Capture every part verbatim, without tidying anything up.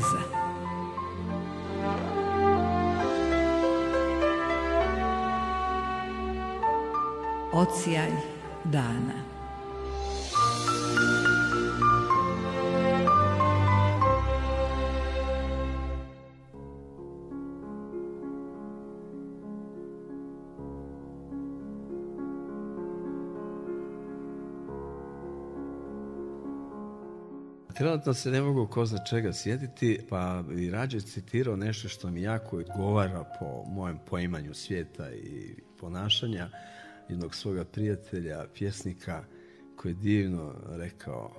oaza. Odsjaj dana. Trenutno se ne mogu ko zna čega sjetiti, pa bi rađe citirao nešto što mi jako odgovara po mojem poimanju svijeta i ponašanja jednog svoga prijatelja, pjesnika, koji je divno rekao: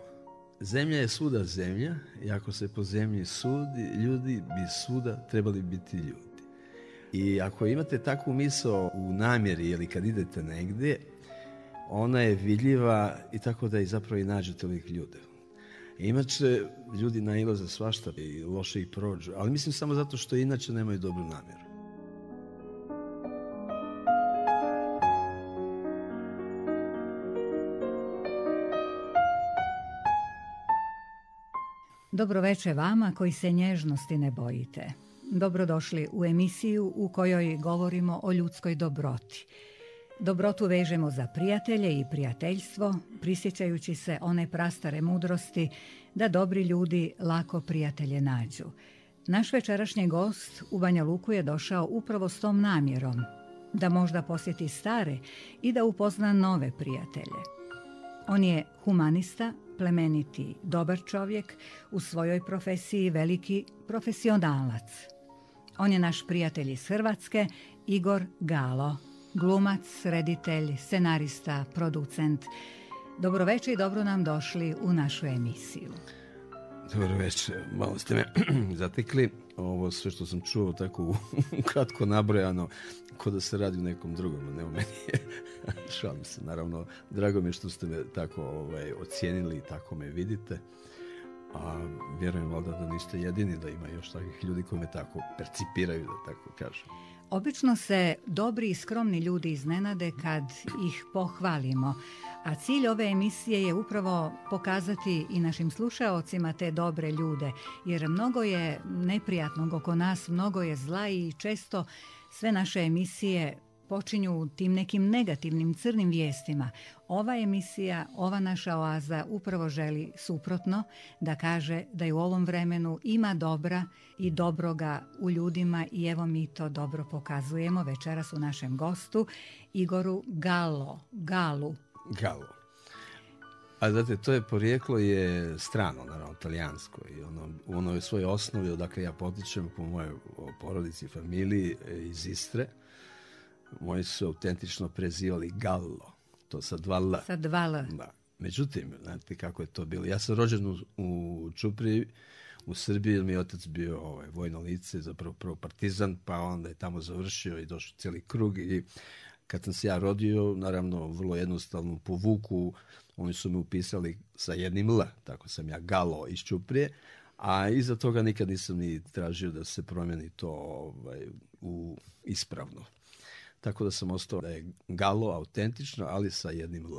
zemlja je svuda zemlja i ako se po zemlji sudi, ljudi bi svuda trebali biti ljudi. I ako imate takvu misao u namjeri ili kad idete negdje, ona je vidljiva i tako da i zapravo i nađete ovih ljude. Inače, ljudi nailaze svašta i loše ih prođu, ali mislim samo zato što inače nemaju dobru namjeru. Dobro večer vama koji se nježnosti ne bojite. Dobrodošli u emisiju u kojoj govorimo o ljudskoj dobroti. Dobrotu vežemo za prijatelje i prijateljstvo, prisjećajući se one prastare mudrosti da dobri ljudi lako prijatelje nađu. Naš večerašnji gost u Banja Luku je došao upravo s tom namjerom, da možda posjeti stare i da upozna nove prijatelje. On je humanista, plemeniti, dobar čovjek, u svojoj profesiji veliki profesionalac. On je naš prijatelj iz Hrvatske, Igor Galo. Glumac, reditelj, scenarista, producent. Dobro večer i dobro nam došli u našu emisiju. Dobro večer, malo ste me zatekli. Ovo sve što sam čuo tako kratko nabrojano, ko da se radi u nekom drugom, ne u meni. Šalim se, naravno. Drago mi je što ste me tako ovaj, ocijenili i tako me vidite. A vjerujem valjda da niste jedini, da ima još takvih ljudi koji me tako percipiraju, da tako kažem. Obično se dobri i skromni ljudi iznenade kad ih pohvalimo, a cilj ove emisije je upravo pokazati i našim slušaocima te dobre ljude, jer mnogo je neprijatnog oko nas, mnogo je zla i često sve naše emisije počinju tim nekim negativnim crnim vijestima. Ova emisija, ova naša oaza upravo želi suprotno, da kaže da je u ovom vremenu ima dobra i dobroga u ljudima i evo mi to dobro pokazujemo večeras u našem gostu Igoru Galo, Galu. Galo. A znate, to je porijeklo je strano, naravno, talijansko i ono, u onoj svojoj osnovi odakle ja potičem po mojoj porodici i familiji iz Istre. Moji su autentično prezivali Gallo, to sa dva L. Sa dva L. Da. Međutim, znate kako je to bilo. Ja sam rođen u, u Čupriji, u Srbiji, jer mi je otac bio ovaj, vojno lice, zapravo prvo partizan, pa onda je tamo završio i došao cijeli krug. I kad sam se ja rodio, naravno, vrlo jednostavno po vuku, oni su me upisali sa jednim L, tako sam ja Galo iz Čuprije, a iza toga nikad nisam ni tražio da se promijeni to ovaj, u ispravno. Tako da sam ostao da je Galo autentično, ali sa jednim L.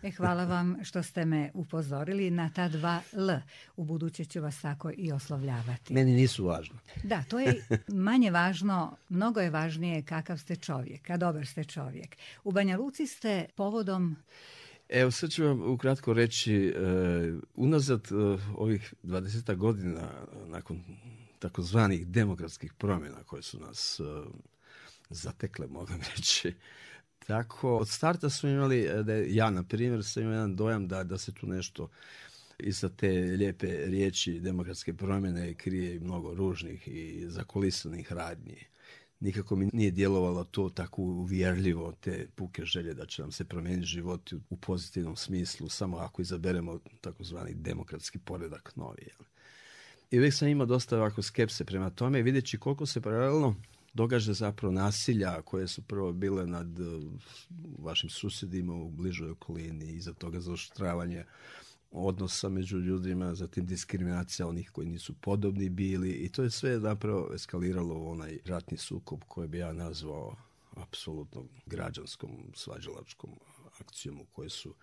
E, hvala vam što ste me upozorili na ta dva L. U buduće ću vas tako i oslovljavati. Meni nisu važno. Da, to je manje važno, mnogo je važnije kakav ste čovjek, a dobar ste čovjek. U Banja Luci ste povodom... Evo, sad ću vam ukratko reći, uh, unazad uh, ovih dvadeset godina, nakon takozvanih demokratskih promjena koje su nas... Uh, zatekle, mogu reći. Tako, od starta smo imali, da ja na primjer sam imao jedan dojam da, da se tu nešto iza te lijepe riječi demokratske promjene krije mnogo ružnih i zakulisanih radnji. Nikako mi nije djelovalo to tako uvjerljivo, te puke želje da će nam se promijeniti životi u pozitivnom smislu, samo ako izaberemo takozvani demokratski poredak novi. I uvijek sam imao dosta ovako skepse prema tome, vidjeći koliko se paralelno događa zapravo nasilja koje su prvo bile nad uh, vašim susjedima u bližoj okolini, iza toga zaoštravanje odnosa među ljudima, zatim diskriminacija onih koji nisu podobni bili i to je sve zapravo eskaliralo u onaj ratni sukob koji bi ja nazvao apsolutno građanskom, svađalačkom akcijom u kojoj su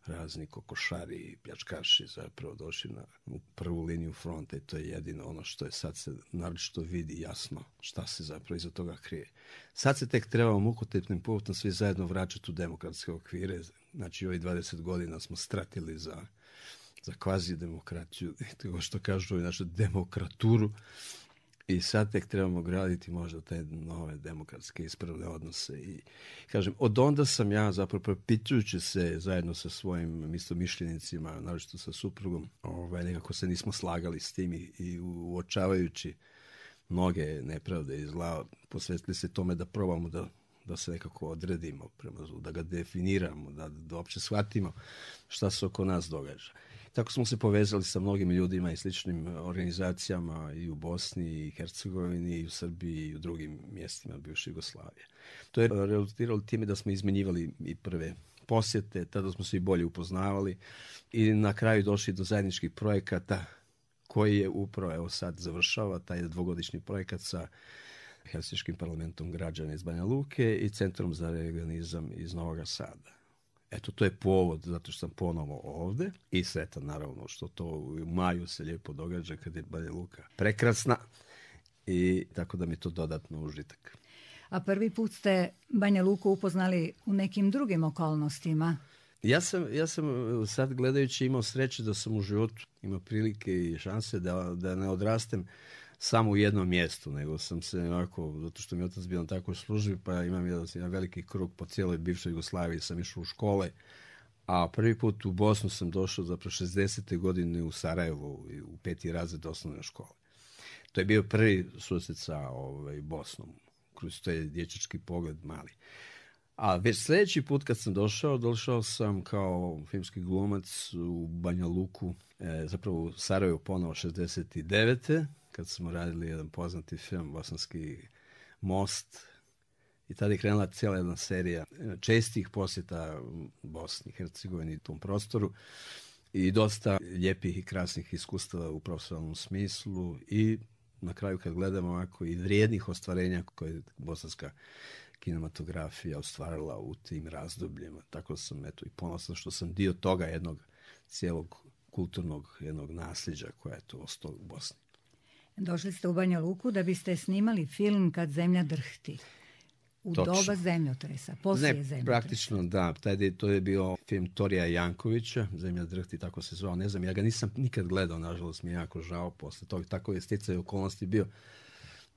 razni kokošari i pljačkaši zapravo došli na u prvu liniju fronta i to je jedino ono što je sad se naročito vidi jasno šta se zapravo iza toga krije. Sad se tek trebamo mukotrpnim putem svi zajedno vraćati u demokratske okvire. Znači, ovih dvadeset godina smo stratili za, za kvazi demokraciju, tako što kažu našu demokraturu. I sad tek trebamo graditi možda te nove demokratske ispravne odnose. I kažem, od onda sam ja zapravo propitujući se zajedno sa svojim istomišljenicima, naročito sa suprugom, ovaj, nekako se nismo slagali s tim i, i uočavajući mnoge nepravde i zla, posvetili se tome da probamo da, da se nekako odredimo prema zlu, da ga definiramo, da, da uopće shvatimo šta se oko nas događa. Tako smo se povezali sa mnogim ljudima i sličnim organizacijama i u Bosni i Hercegovini i u Srbiji i u drugim mjestima bivše Jugoslavije. To je rezultiralo time da smo izmenjivali i prve posjete, tada smo se i bolje upoznavali i na kraju došli do zajedničkih projekata koji je upravo evo sad završava, taj dvogodišnji projekat sa Helsinškim parlamentom građana iz Banja Luke i Centrom za regionalizam iz Novog Sada. Eto, to je povod, zato što sam ponovo ovde i sretan naravno što to u maju se lijepo događa kad je Banja Luka prekrasna i tako da mi to dodatno užitak. A prvi put ste Banja Luku upoznali u nekim drugim okolnostima? Ja sam, ja sam sad gledajući imao sreće da sam u životu imao prilike i šanse da, da ne odrastem samo u jednom mjestu, nego sam se onako, zato što mi je otac bio na takvoj službi, pa imam jedan, jedan veliki krug po cijeloj bivšoj Jugoslaviji, sam išao u škole, a prvi put u Bosnu sam došao zapravo šezdesete godine u Sarajevu, u peti razred osnovne škole. To je bio prvi susret sa ovaj, Bosnom, kroz to je dječački pogled mali. A već sljedeći put kad sam došao, došao sam kao filmski glumac u Banja Luku, e, zapravo u Sarajevu ponovo šezdeset devete kad smo radili jedan poznati film Bosanski most i tada je krenula cijela jedna serija čestih posjeta Bosni i Hercegovini i tom prostoru i dosta lijepih i krasnih iskustava u profesionalnom smislu i na kraju kad gledamo ovako i vrijednih ostvarenja koje je bosanska kinematografija ostvarila u tim razdobljima. Tako sam eto i ponosan što sam dio toga jednog cijelog kulturnog jednog nasljeđa koja je to ostalo u Bosni. Došli ste u Banja Luku da biste snimali film Kad zemlja drhti. U Točno. Doba zemljotresa, poslije ne, zemljotresa. Praktično da, taj, to je bio film Torija Jankovića, Zemlja drhti, tako se zvao, ne znam, ja ga nisam nikad gledao, nažalost mi je jako žao posle toga, tako je sticaj okolnosti bio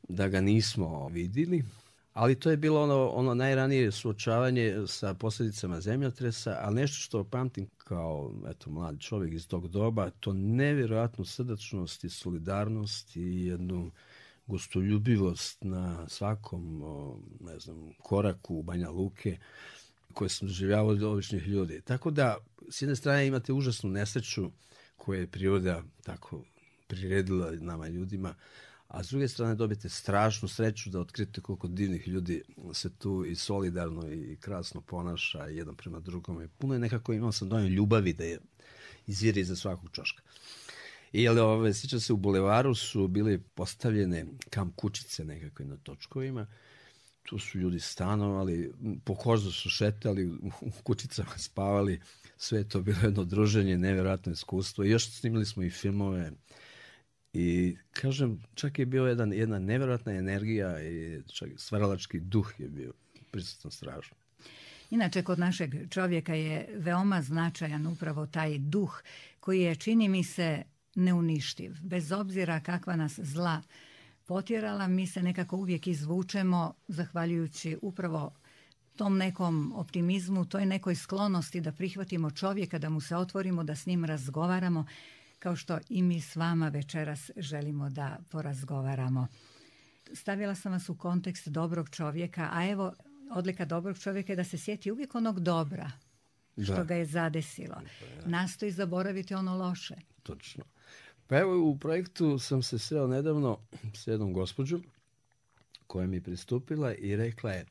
da ga nismo vidjeli, ali to je bilo ono, ono najranije suočavanje sa posljedicama zemljotresa, ali nešto što pamtim kao eto, mlad čovjek iz tog doba, to nevjerojatnu srdačnost i solidarnost i jednu gostoljubivost na svakom ne znam, koraku Banja Luke koje sam doživljavao od običnih ljudi. Tako da, s jedne strane imate užasnu nesreću koju je priroda tako priredila nama ljudima, a s druge strane dobijete strašnu sreću da otkrite koliko divnih ljudi se tu i solidarno i krasno ponaša jedan prema drugom. Puno je nekako, imao sam dojam ljubavi da je izvire iza svakog čoška. I ali, ove, sjećam se, u bulevaru su bile postavljene kamp kućice nekakve na točkovima. Tu su ljudi stanovali, po kožu su šetali, u kućicama spavali. Sve je to bilo jedno druženje, nevjerojatno iskustvo. I još snimili smo i filmove. I kažem, čak je bio jedan, jedna nevjerojatna energija i čak stvaralački duh je bio prisutan strašno. Inače, kod našeg čovjeka je veoma značajan upravo taj duh koji je, čini mi se, neuništiv. Bez obzira kakva nas zla potjerala, mi se nekako uvijek izvučemo zahvaljujući upravo tom nekom optimizmu, toj nekoj sklonosti da prihvatimo čovjeka, da mu se otvorimo, da s njim razgovaramo, kao što i mi s vama večeras želimo da porazgovaramo. Stavila sam vas u kontekst dobrog čovjeka, a evo, odlika dobrog čovjeka je da se sjeti uvijek onog dobra što da. ga je zadesilo. Nastoji zaboraviti ono loše. Točno. Pa evo, u projektu sam se sreo nedavno s jednom gospođom koja mi je pristupila i rekla je: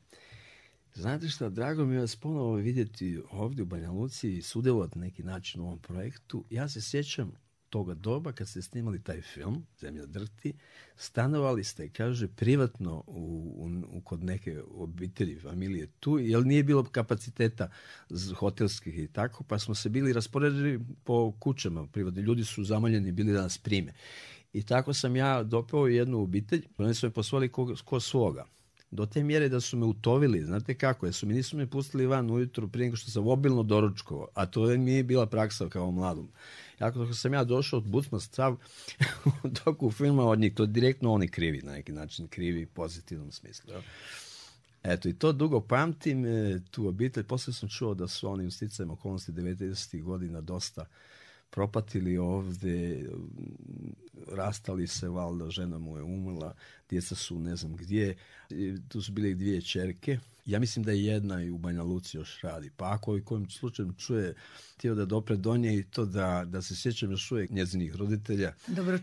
znate šta, drago mi je vas ponovo vidjeti ovdje u Banja Luci i sudjelovati na neki način u ovom projektu. Ja se sjećam toga doba, kad ste snimali taj film, Zemlja drhti, stanovali ste, kaže, privatno u, u, kod neke obitelji, familije tu, jer nije bilo kapaciteta hotelskih i tako, pa smo se bili rasporedili po kućama. Privatni ljudi su zamoljeni bili da nas prime. I tako sam ja dopeo u jednu obitelj, oni su me posvali ko, ko svoga. Do te mjere da su me utovili, znate kako, jer su mi nisu me pustili van ujutru prije nego što sam obilno doručkovao, a to mi je bila praksa kao mladom. Jako dok sam ja došao od Bucma stav dok u filma od njih, to direktno oni krivi, na neki način krivi u pozitivnom smislu. Ja. Eto, i to dugo pamtim, tu obitelj. Poslije sam čuo da su oni u sticajem okolnosti devedesetih godina dosta propatili ovdje, rastali se, valjda, žena mu je umrla, djeca su ne znam gdje, tu su bile dvije ćerke, ja mislim da je jedna i u Banja Luci još radi, pa ako i kojim slučajem čuje, htio da dopre do nje i to da, da se sjećam još uvijek njezinih roditelja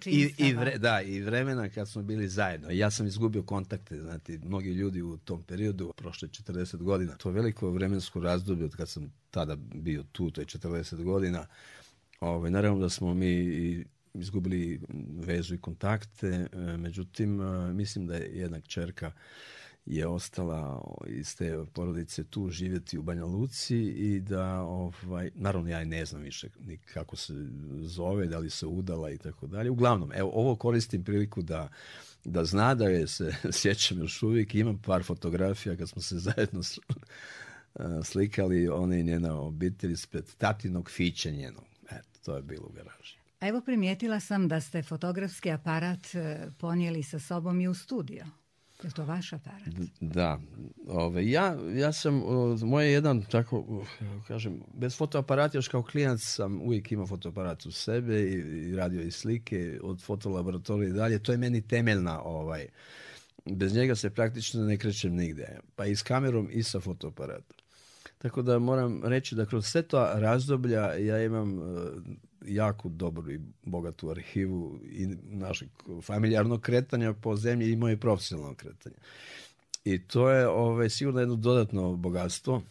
i, i, vre, da, i vremena kad smo bili zajedno. Ja sam izgubio kontakte, znate, mnogi ljudi u tom periodu, prošle četrdeset godina, to je veliko vremensko razdoblje od kad sam tada bio tu, to je četrdeset godina. Ove, naravno da smo mi izgubili vezu i kontakte, međutim mislim da je jedna kćerka je ostala iz te porodice tu živjeti u Banja Luci i da, ovaj, naravno ja ne znam više ni kako se zove, da li se udala i tako dalje. Uglavnom, evo, ovo koristim priliku da, da zna da je se sjećam još uvijek, imam par fotografija kad smo se zajedno slikali, ona i njena obitelj ispred tatinog fića njenog. Eto, to je bilo u garaži. A evo primijetila sam da ste fotografski aparat ponijeli sa sobom i u studio. Je to vaš aparat? Da. Ove, ja, ja sam, moj jedan, tako kažem, bez fotoaparata još kao klinac sam uvijek imao fotoaparat u sebe i, i radio i slike od fotolaboratorija i dalje. To je meni temeljna, ovaj, bez njega se praktično ne krećem nigdje. Pa i s kamerom i sa fotoaparatom. Tako da moram reći da kroz sve to razdoblja ja imam uh, jako dobru i bogatu arhivu i našeg familijarnog kretanja po zemlji i moje profesionalno kretanje. I to je ovaj, sigurno jedno dodatno bogatstvo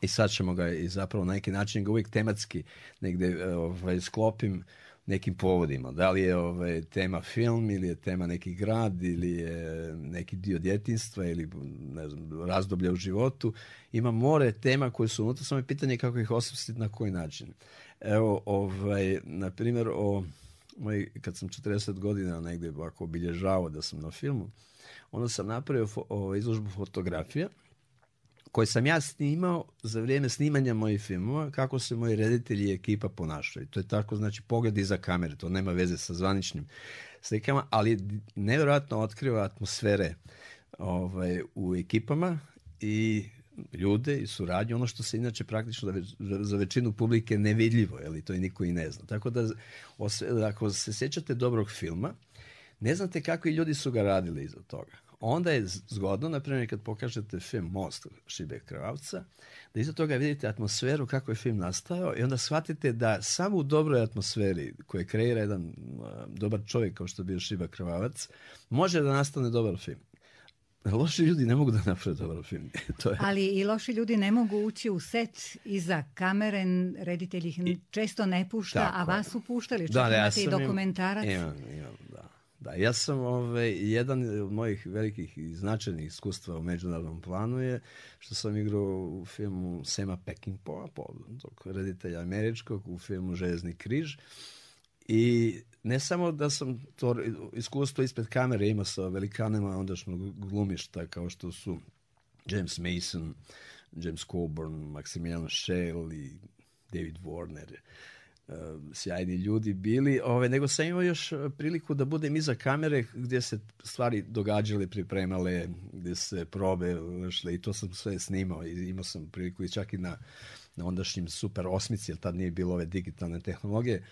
i sad ćemo ga i zapravo na neki način ga uvijek tematski negdje ovaj, sklopim nekim povodima. Da li je ovaj, tema film ili je tema neki grad ili je neki dio djetinjstva ili ne znam, razdoblja u životu. Ima more tema koje su unutra, samo je pitanje kako ih osmisliti na koji način. Evo, ovaj, na primjer, o, moj, kad sam četrdeset godina negdje ovako obilježavao da sam na filmu, onda sam napravio fo, o, izložbu fotografija koje sam ja snimao za vrijeme snimanja mojih filmova, kako se moji reditelji i ekipa ponašaju. To je tako, znači, pogled iza kamere, to nema veze sa zvaničnim slikama, ali nevjerojatno otkriva atmosfere ovaj, u ekipama i ljude i suradnju, ono što se inače praktično za većinu publike nevidljivo, ali to i niko i ne zna. Tako da, ako se sjećate dobrog filma, ne znate kakvi ljudi su ga radili iza toga. Onda je zgodno, na primjer, kad pokažete film Most Šibe Krvavca, da iza toga vidite atmosferu kako je film nastao i onda shvatite da samo u dobroj atmosferi koju kreira jedan uh, dobar čovjek kao što je bio Šiba Krvavac, može da nastane dobar film. Loši ljudi ne mogu da naprave dobar film. To je... Ali i loši ljudi ne mogu ući u set iza kamere, reditelj ih I... često ne pušta, tako, a vas su puštali. Čak da, imate ja i dokumentarac. Imam, imam, da. Da, ja sam ovaj, jedan od mojih velikih i značajnih iskustva u međunarodnom planu je što sam igrao u filmu Sema Peckinpaha, tog reditelja američkog, u filmu Željezni križ. I ne samo da sam to iskustvo ispred kamere imao sa velikanima ondašnjeg glumišta kao što su James Mason, James Coburn, Maximilian Schell i David Warner, sjajni ljudi bili, ove, nego sam imao još priliku da budem iza kamere gdje se stvari događale, pripremale, gdje se probe vršile i to sam sve snimao i imao sam priliku i čak i na, na ondašnjim Super osmici, jer tad nije bilo ove digitalne tehnologije,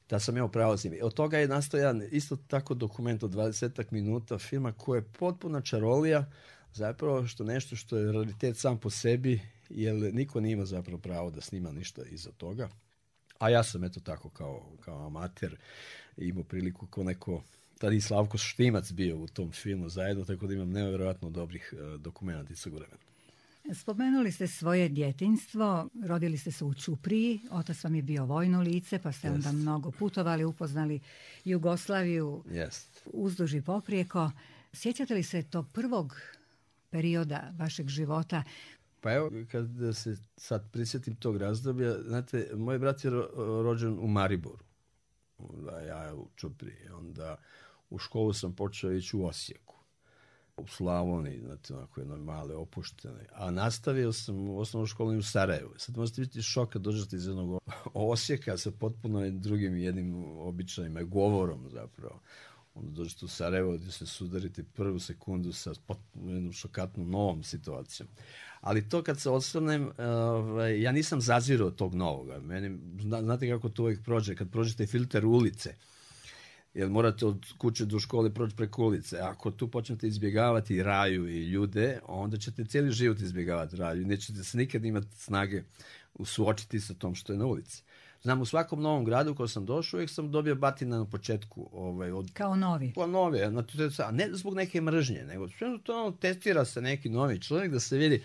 da sam imao pravo snimiti. Od toga je nastao jedan isto tako dokument od dvadesetak minuta filma koji je potpuna čarolija, zapravo što nešto što je realitet sam po sebi, jer niko nije imao zapravo pravo da snima ništa iza toga. A ja sam eto tako kao, kao amater imao priliku kao neko, tada i Slavko Štimac bio u tom filmu zajedno, tako da imam nevjerojatno dobrih uh, dokumenta iz svog vremena. Spomenuli ste svoje djetinjstvo, rodili ste se u Ćupriji, otac vam je bio vojno lice, pa ste Jest. onda mnogo putovali, upoznali Jugoslaviju Jest. uzduž i poprijeko. Sjećate li se to prvog perioda vašeg života? Pa evo, kad se sad prisjetim tog razdoblja, znate, moj brat je ro- rođen u Mariboru, onda ja u Ćupriji, onda u školu sam počeo ići u Osijeku, u Slavoniji, znate, onako jednoj male, opuštene, a nastavio sam u osnovnoj školi u Sarajevu. Sad možete biti šok kad dođete iz jednog Osijeka sa potpuno drugim jednim običajima, govorom zapravo. Onda dođete u Sarajevo gdje se sudarite prvu sekundu sa potpuno jednom šokatnom novom situacijom. Ali to kad se osvrnem, ovaj, ja nisam zazirao tog novoga. Meni, znate kako to uvijek prođe, kad prođete filter ulice, jer morate od kuće do škole proći preko ulice. Ako tu počnete izbjegavati raju i ljude, onda ćete cijeli život izbjegavati raju i nećete se nikad imati snage suočiti sa tom što je na ulici. Znam, u svakom novom gradu koji sam došao, uvijek sam dobio batina na početku. Ovaj, od, Kao novi. Pa novi, a ne zbog neke mržnje, nego sve to ono, testira se neki novi čovjek da se vidi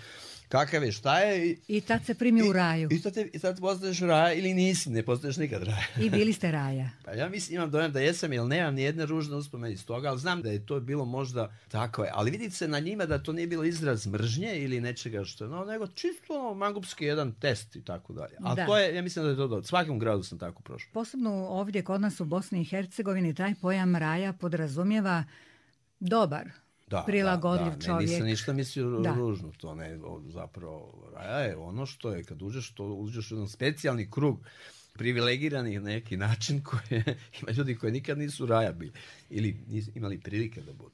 kakav je, šta je. I, I tad se primi u raju. I, i, tad, te, i tad postaješ raja ili nisi, ne postaješ nikad raja. I bili ste raja. Pa ja mislim, imam dojam da jesam, jer nemam ni jedne ružne uspomene iz toga, ali znam da je to bilo možda tako. Ali vidite se na njima da to nije bilo izraz mržnje ili nečega što je, no, nego čisto mangupski jedan test i tako dalje. Ali Da. to je, ja mislim da je to dobro. Svakom gradu sam tako prošao. Posebno ovdje kod nas u Bosni i Hercegovini taj pojam raja podrazumijeva dobar, Da, prilagodljiv da, da. čovjek. Ne, nisam ništa mislio Da. ružno, to ne, o, zapravo, raja je ono što je, kad uđeš, to uđeš u jedan specijalni krug privilegiranih na neki način koje ima ljudi koji nikad nisu raja bili ili nisu imali prilike da budu.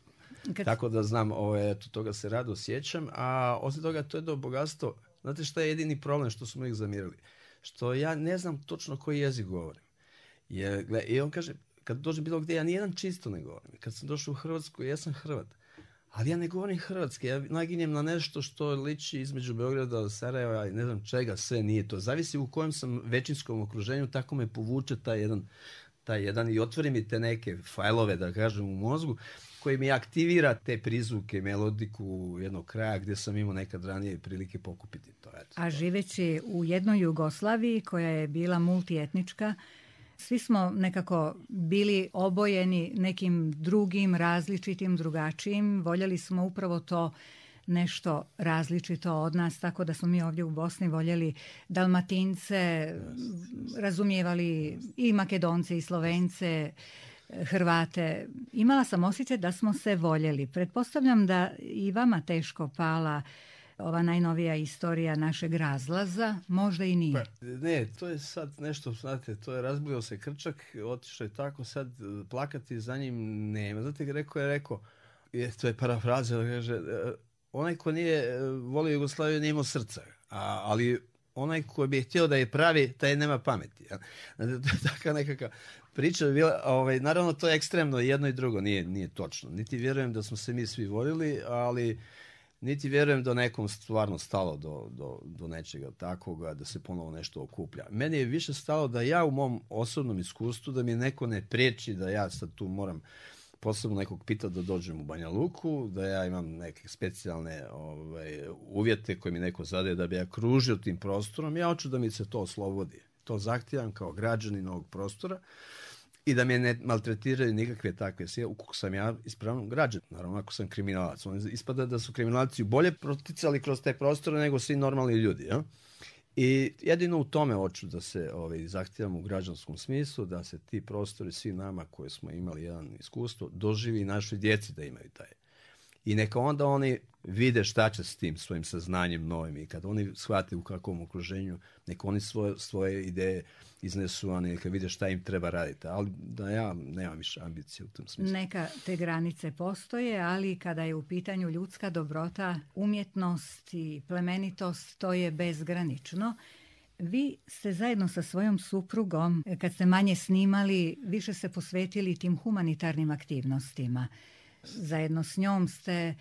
Kad- Tako da znam, ovo, eto, toga se rado sjećam, a osim toga to je do bogatstvo. Znate šta je jedini problem što smo ih zamirali? Što ja ne znam točno koji jezik govorim. Jer, gle, i on kaže, kad dođem bilo gdje, ja nijedan čisto ne govorim. Kad sam došao u Hrvatsku, ja sam Hrvat. Ali ja ne govorim hrvatski, ja naginjem na nešto što liči između Beograda, Sarajeva i ne znam čega, sve nije to. Zavisi u kojem sam većinskom okruženju, tako me povuče taj jedan, taj jedan i otvori mi te neke fajlove, da kažem, u mozgu, koji mi aktivira te prizvuke, melodiku jednog kraja gdje sam imao nekad ranije prilike pokupiti to. Eto. A živeći u jednoj Jugoslaviji koja je bila multietnička, svi smo nekako bili obojeni nekim drugim, različitim, drugačijim. Voljeli smo upravo to nešto različito od nas, tako da smo mi ovdje u Bosni voljeli Dalmatince, razumijevali i Makedonce i Slovence, Hrvate. Imala sam osjećaj da smo se voljeli. Pretpostavljam da i vama teško pala ova najnovija istorija našeg razlaza, možda i nije. Pa, ne, to je sad nešto, znate, to je razbio se krčak, otišao je tako, sad plakati za njim nema. Znate, rekao je, rekao, je, to je parafraza, kaže, onaj ko nije volio Jugoslaviju nije imao srca, a, ali onaj ko bi htio da je pravi, taj nema pameti. Ja. Znate, to je taka nekakva priča bila, ovaj, naravno to je ekstremno, jedno i drugo nije, nije točno. Niti vjerujem da smo se mi svi volili, ali niti vjerujem da nekom stvarno stalo do, do, do nečega takvoga, da se ponovo nešto okuplja. Meni je više stalo da ja u mom osobnom iskustvu, da mi neko ne priječi da ja sad tu moram posebno nekog pitati da dođem u Banja Luku, da ja imam neke specijalne ovaj, uvjete koje mi neko zadaje da bi ja kružio tim prostorom. Ja hoću da mi se to oslobodi. To zahtijevam kao građanin ovog prostora i da me ne maltretiraju nikakve takve sile, ukoliko sam ja ispravan građan. Naravno, ako sam kriminalac. On ispada da su kriminalci bolje proticali kroz te prostore nego svi normalni ljudi. Ja? I jedino u tome hoću da se ovaj, zahtijevam u građanskom smislu, da se ti prostori, svi nama koji smo imali jedan iskustvo, doživi i našoj djeci da imaju taj. I neka onda oni vide šta će s tim svojim saznanjem novim i kad oni shvate u kakvom okruženju, neka oni svoje, svoje ideje iznesu, a neka vide šta im treba raditi. Ali da ja nemam više ambicije u tom smislu. Neka te granice postoje, ali kada je u pitanju ljudska dobrota, umjetnost i plemenitost, to je bezgranično. Vi ste zajedno sa svojom suprugom, kad ste manje snimali, više se posvetili tim humanitarnim aktivnostima. Zajedno s njom ste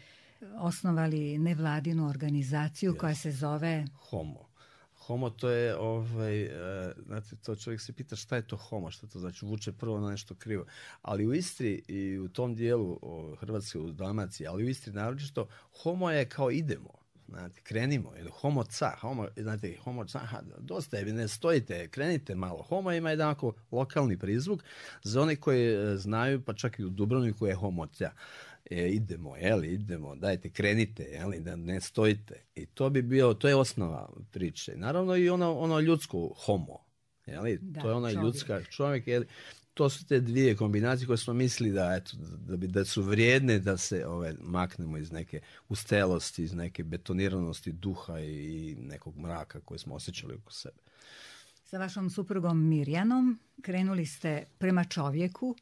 osnovali nevladinu organizaciju yes. koja se zove Homo. Homo to je, ovaj, uh, znate, to čovjek se pita šta je to homo, šta to znači, vuče prvo na nešto krivo. Ali u Istri i u tom dijelu o, Hrvatske, u Dalmaciji, ali u Istri naročito, homo je kao idemo. znate, krenimo, ili homo ca, homo, znate, homo ca, ha, dosta je, vi ne stojite, krenite malo. Homo ima jedan ako lokalni prizvuk, za one koji e, znaju, pa čak i u Dubrovniku je homo ca. E, idemo, jeli, idemo, dajte, krenite, jeli, da ne stojite. I to bi bio, to je osnova priče. Naravno i ono, ono ljudsko homo, jeli, Da, to je ona čovjek. ljudska čovjek, jeli, to su te dvije kombinacije koje smo mislili da, eto, da, bi, da su vrijedne da se ove, maknemo iz neke ustelosti, iz neke betoniranosti duha i, i nekog mraka koje smo osjećali oko sebe. Sa vašom suprugom Mirjanom krenuli ste prema čovjeku,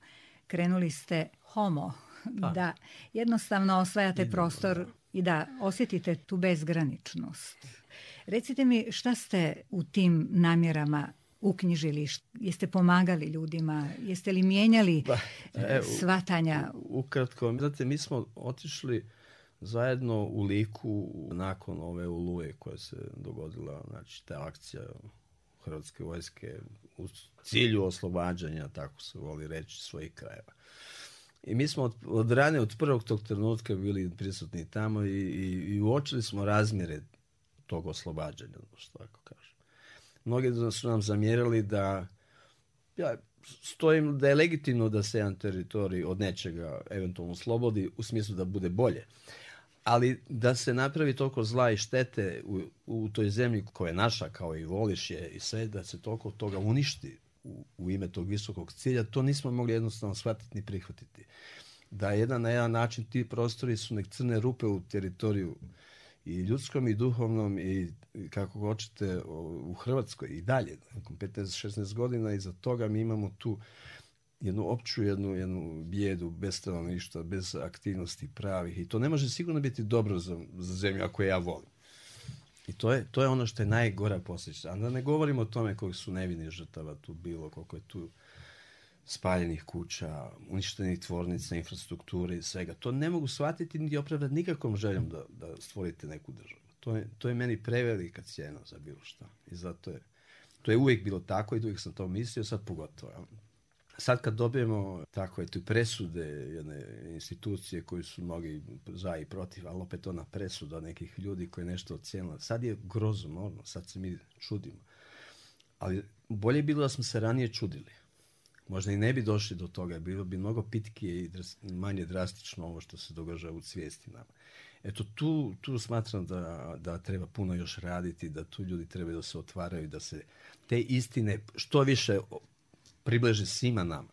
krenuli ste homo, da, da jednostavno osvajate Idemo, prostor da. I da osjetite tu bezgraničnost. Recite mi šta ste u tim namjerama uknjižili, jeste pomagali ljudima, jeste li mijenjali ba, e, shvatanja? Ukratko, znate, mi smo otišli zajedno u Liku nakon ove Oluje koja se dogodila, znači ta akcija Hrvatske vojske u cilju oslobađanja, tako se voli reći, svojih krajeva. I mi smo od, od rane, od prvog tog trenutka bili prisutni tamo i, i, i uočili smo razmjere tog oslobađanja, što tako kažem. Mnogi su nam zamjerili da ja stojim da je legitimno da se jedan teritorij od nečega eventualno slobodi u smislu da bude bolje. Ali da se napravi toliko zla i štete u, u toj zemlji koja je naša, kao i Volišje i sve, da se toliko toga uništi u, u ime tog visokog cilja, to nismo mogli jednostavno shvatiti ni prihvatiti. Da jedan na jedan način ti prostori su nek crne rupe u teritoriju i ljudskom i duhovnom i kako hoćete u Hrvatskoj i dalje. Nakon petnaest šesnaest godina iza toga mi imamo tu jednu opću, jednu, jednu bijedu, bez stanovništva, bez aktivnosti pravih. I to ne može sigurno biti dobro za, za zemlju ako je ja volim. I to je, to je ono što je najgora posljedica. A da ne govorimo o tome koliko su nevini žrtava tu bilo, koliko je tu spaljenih kuća, uništenih tvornica, infrastrukture i svega. To ne mogu shvatiti niti opravdati nikakvom željom da, da stvorite neku državu. To je, to je meni prevelika cijena za bilo šta. I zato je, to je uvijek bilo tako i uvijek sam to mislio, sad pogotovo. Ja. Sad kad dobijemo takve tu presude jedne institucije koji su mnogi za i protiv, ali opet ona presuda nekih ljudi koji nešto ocijenila, sad je grozomorno, sad se mi čudimo. Ali bolje je bilo da smo se ranije čudili. Možda i ne bi došli do toga, bilo bi mnogo pitkije i manje drastično ovo što se događa u svijesti nama. Eto, tu, tu smatram da, da treba puno još raditi, da tu ljudi trebaju da se otvaraju, da se te istine što više približe svima nama.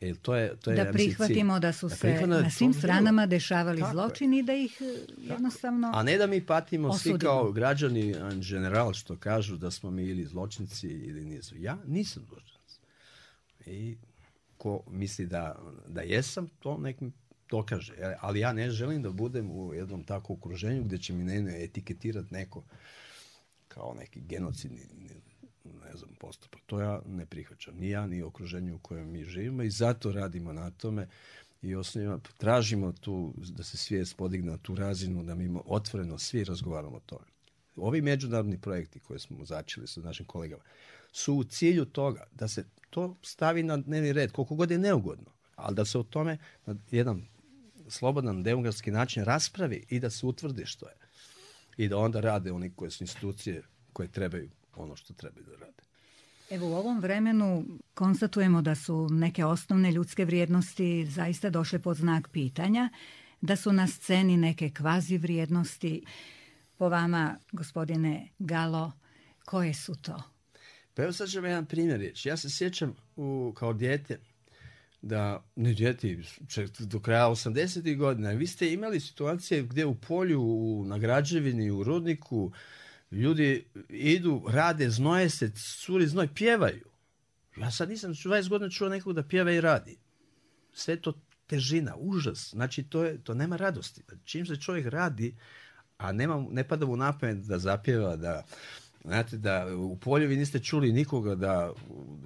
E, to je, to je, da ja prihvatimo cilj. da su da se na svim stranama dešavali tako zločini i da ih jednostavno a ne da mi patimo osudimo. Svi kao građani in general što kažu da smo mi ili zločinci ili nisu. Ja nisam zločinac. I ko misli da, da jesam, to nek mi dokaže. Ali ja ne želim da budem u jednom takvom okruženju gdje će mi ne etiketirati neko kao neki genocidni ne znam, postupak. To ja ne prihvaćam. Ni ja, ni okruženju u kojem mi živimo i zato radimo na tome i osnovno tražimo tu da se svijest podigne na tu razinu, da mi otvoreno svi razgovaramo o tome. Ovi međunarodni projekti koje smo začeli sa našim kolegama su u cilju toga da se to stavi na dnevni red, koliko god je neugodno, ali da se o tome na jedan slobodan demokratski način raspravi i da se utvrdi što je. I da onda rade oni koje su institucije koje trebaju ono što trebaju da rade. Evo u ovom vremenu konstatujemo da su neke osnovne ljudske vrijednosti zaista došle pod znak pitanja, da su na sceni neke kvazi vrijednosti. Po vama, gospodine Galo, koje su to? Pa evo sad ću vam jedan primjer reći. Ja se sjećam u, kao dijete da, ne dijete, do kraja osamdesetih godina, vi ste imali situacije gdje u polju, u, na građevini, u rudniku, ljudi idu, rade, znoje se, curi znoj, pjevaju. Ja sad nisam dvadeset godina čuo nekog da pjeva i radi. Sve to težina, užas. Znači, to, je, to nema radosti. Čim se čovjek radi, a nema, ne pada mu na pamet da zapjeva, da, znate, da u polju vi niste čuli nikoga da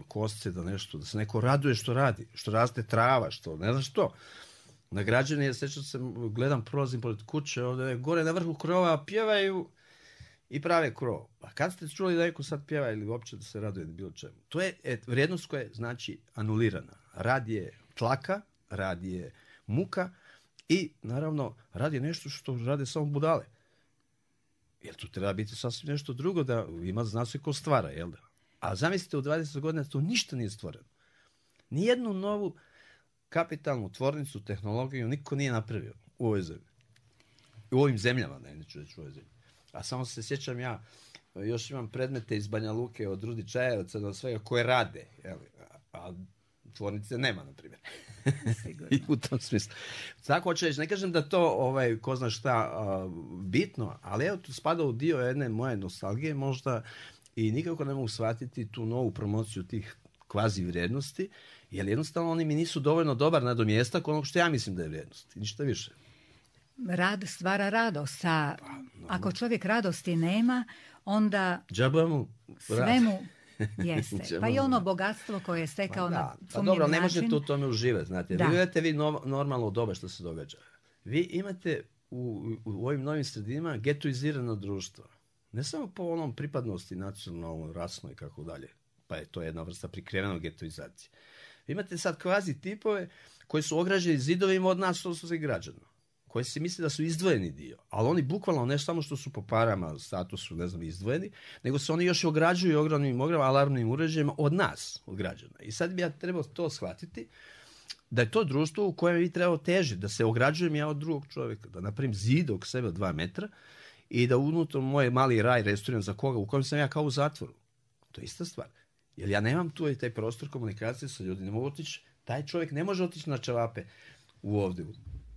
kosce, da nešto, da se neko raduje što radi, što raste trava, što, ne znam što. Na građani, ja sjećam se, gledam, prolazim pored kuće, ovdje gore na vrhu krova pjevaju i prave krov. A kad ste čuli da neko sad pjeva ili uopće da se raduje bilo čemu? To je et, vrijednost koja je znači anulirana. Rad je tlaka, rad je muka i naravno rad je nešto što rade samo budale. Jer tu treba biti sasvim nešto drugo, da ima zna se ko stvara, jel da? A zamislite, u dvadeset godina to ništa nije stvoreno. Nijednu novu kapitalnu tvornicu, tehnologiju niko nije napravio u ovoj zemlji. U ovim zemljama, ne, neću reći u ovoj zemlji. A samo se sjećam ja, još imam predmete iz Banja Luke od Rudi Čajevca do svega koje rade, jel? A tvornice nema, na primjer. I u tom smislu. Tako hoću reći, ne kažem da to, ovaj, ko zna šta, uh, bitno, ali evo tu spada u dio jedne moje nostalgije možda i nikako ne mogu shvatiti tu novu promociju tih kvazi vrijednosti, jer jednostavno oni mi nisu dovoljno dobar nadomjestak onog što ja mislim da je vrijednost. I ništa više. Rad stvara radost, a pa, no, ako čovjek radosti nema, onda džaba mu sve mu jeste. Pa i ono bogatstvo koje je stekao pa, na pa dobro, ne možete u tome uživati, znate. Da. Vi gledate vi no, normalno u doba što se događa. Vi imate u, u, u ovim novim sredinama getoizirano društvo. Ne samo po onom pripadnosti nacionalnoj, rasnoj i kako dalje. Pa je to jedna vrsta prikrivenog getoizacije. Vi imate sad kvazi tipove koji su ograđeni zidovima od nas, to su svi građana, koji se misle da su izdvojeni dio, ali oni bukvalno ne samo što su po parama, statusu, ne znam, izdvojeni, nego se oni još i ograđuju ogromnim alarmnim uređajima od nas, od građana. I sad bi ja trebao to shvatiti, da je to društvo u kojem vi trebao težiti, da se ograđujem ja od drugog čovjeka, da napravim zid oko sebe od dva metra i da unutra moj mali raj restauriram za koga, u kojem sam ja kao u zatvoru. To je ista stvar. Jer ja nemam tu i taj prostor komunikacije sa ljudima, ne mogu otići, taj čovjek ne može otići na čevape u ovdje,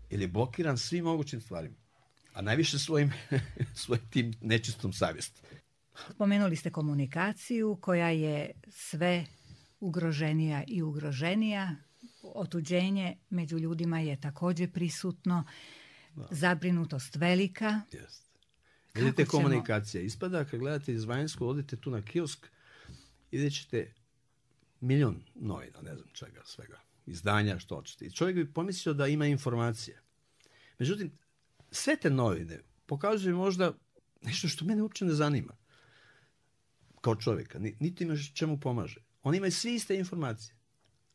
jer je blokiran svim mogućim stvarima. A najviše svojim, svojim tim nečistom savjesti. Spomenuli ste komunikaciju koja je sve ugroženija i ugroženija. Otuđenje među ljudima je također prisutno. Da. Zabrinutost velika. Jeste. Vidite, komunikacija ispada, kad gledate iz vanjskog, odite tu na kiosk i vidjet ćete milion novina, ne znam čega, svega. Izdanja, što hoćete. Čovjek bi pomislio da ima informacije. Međutim, sve te novine pokazuju možda nešto što mene uopće ne zanima. Kao čovjeka. Niti ima čemu pomaže. Oni imaju svi iste informacije.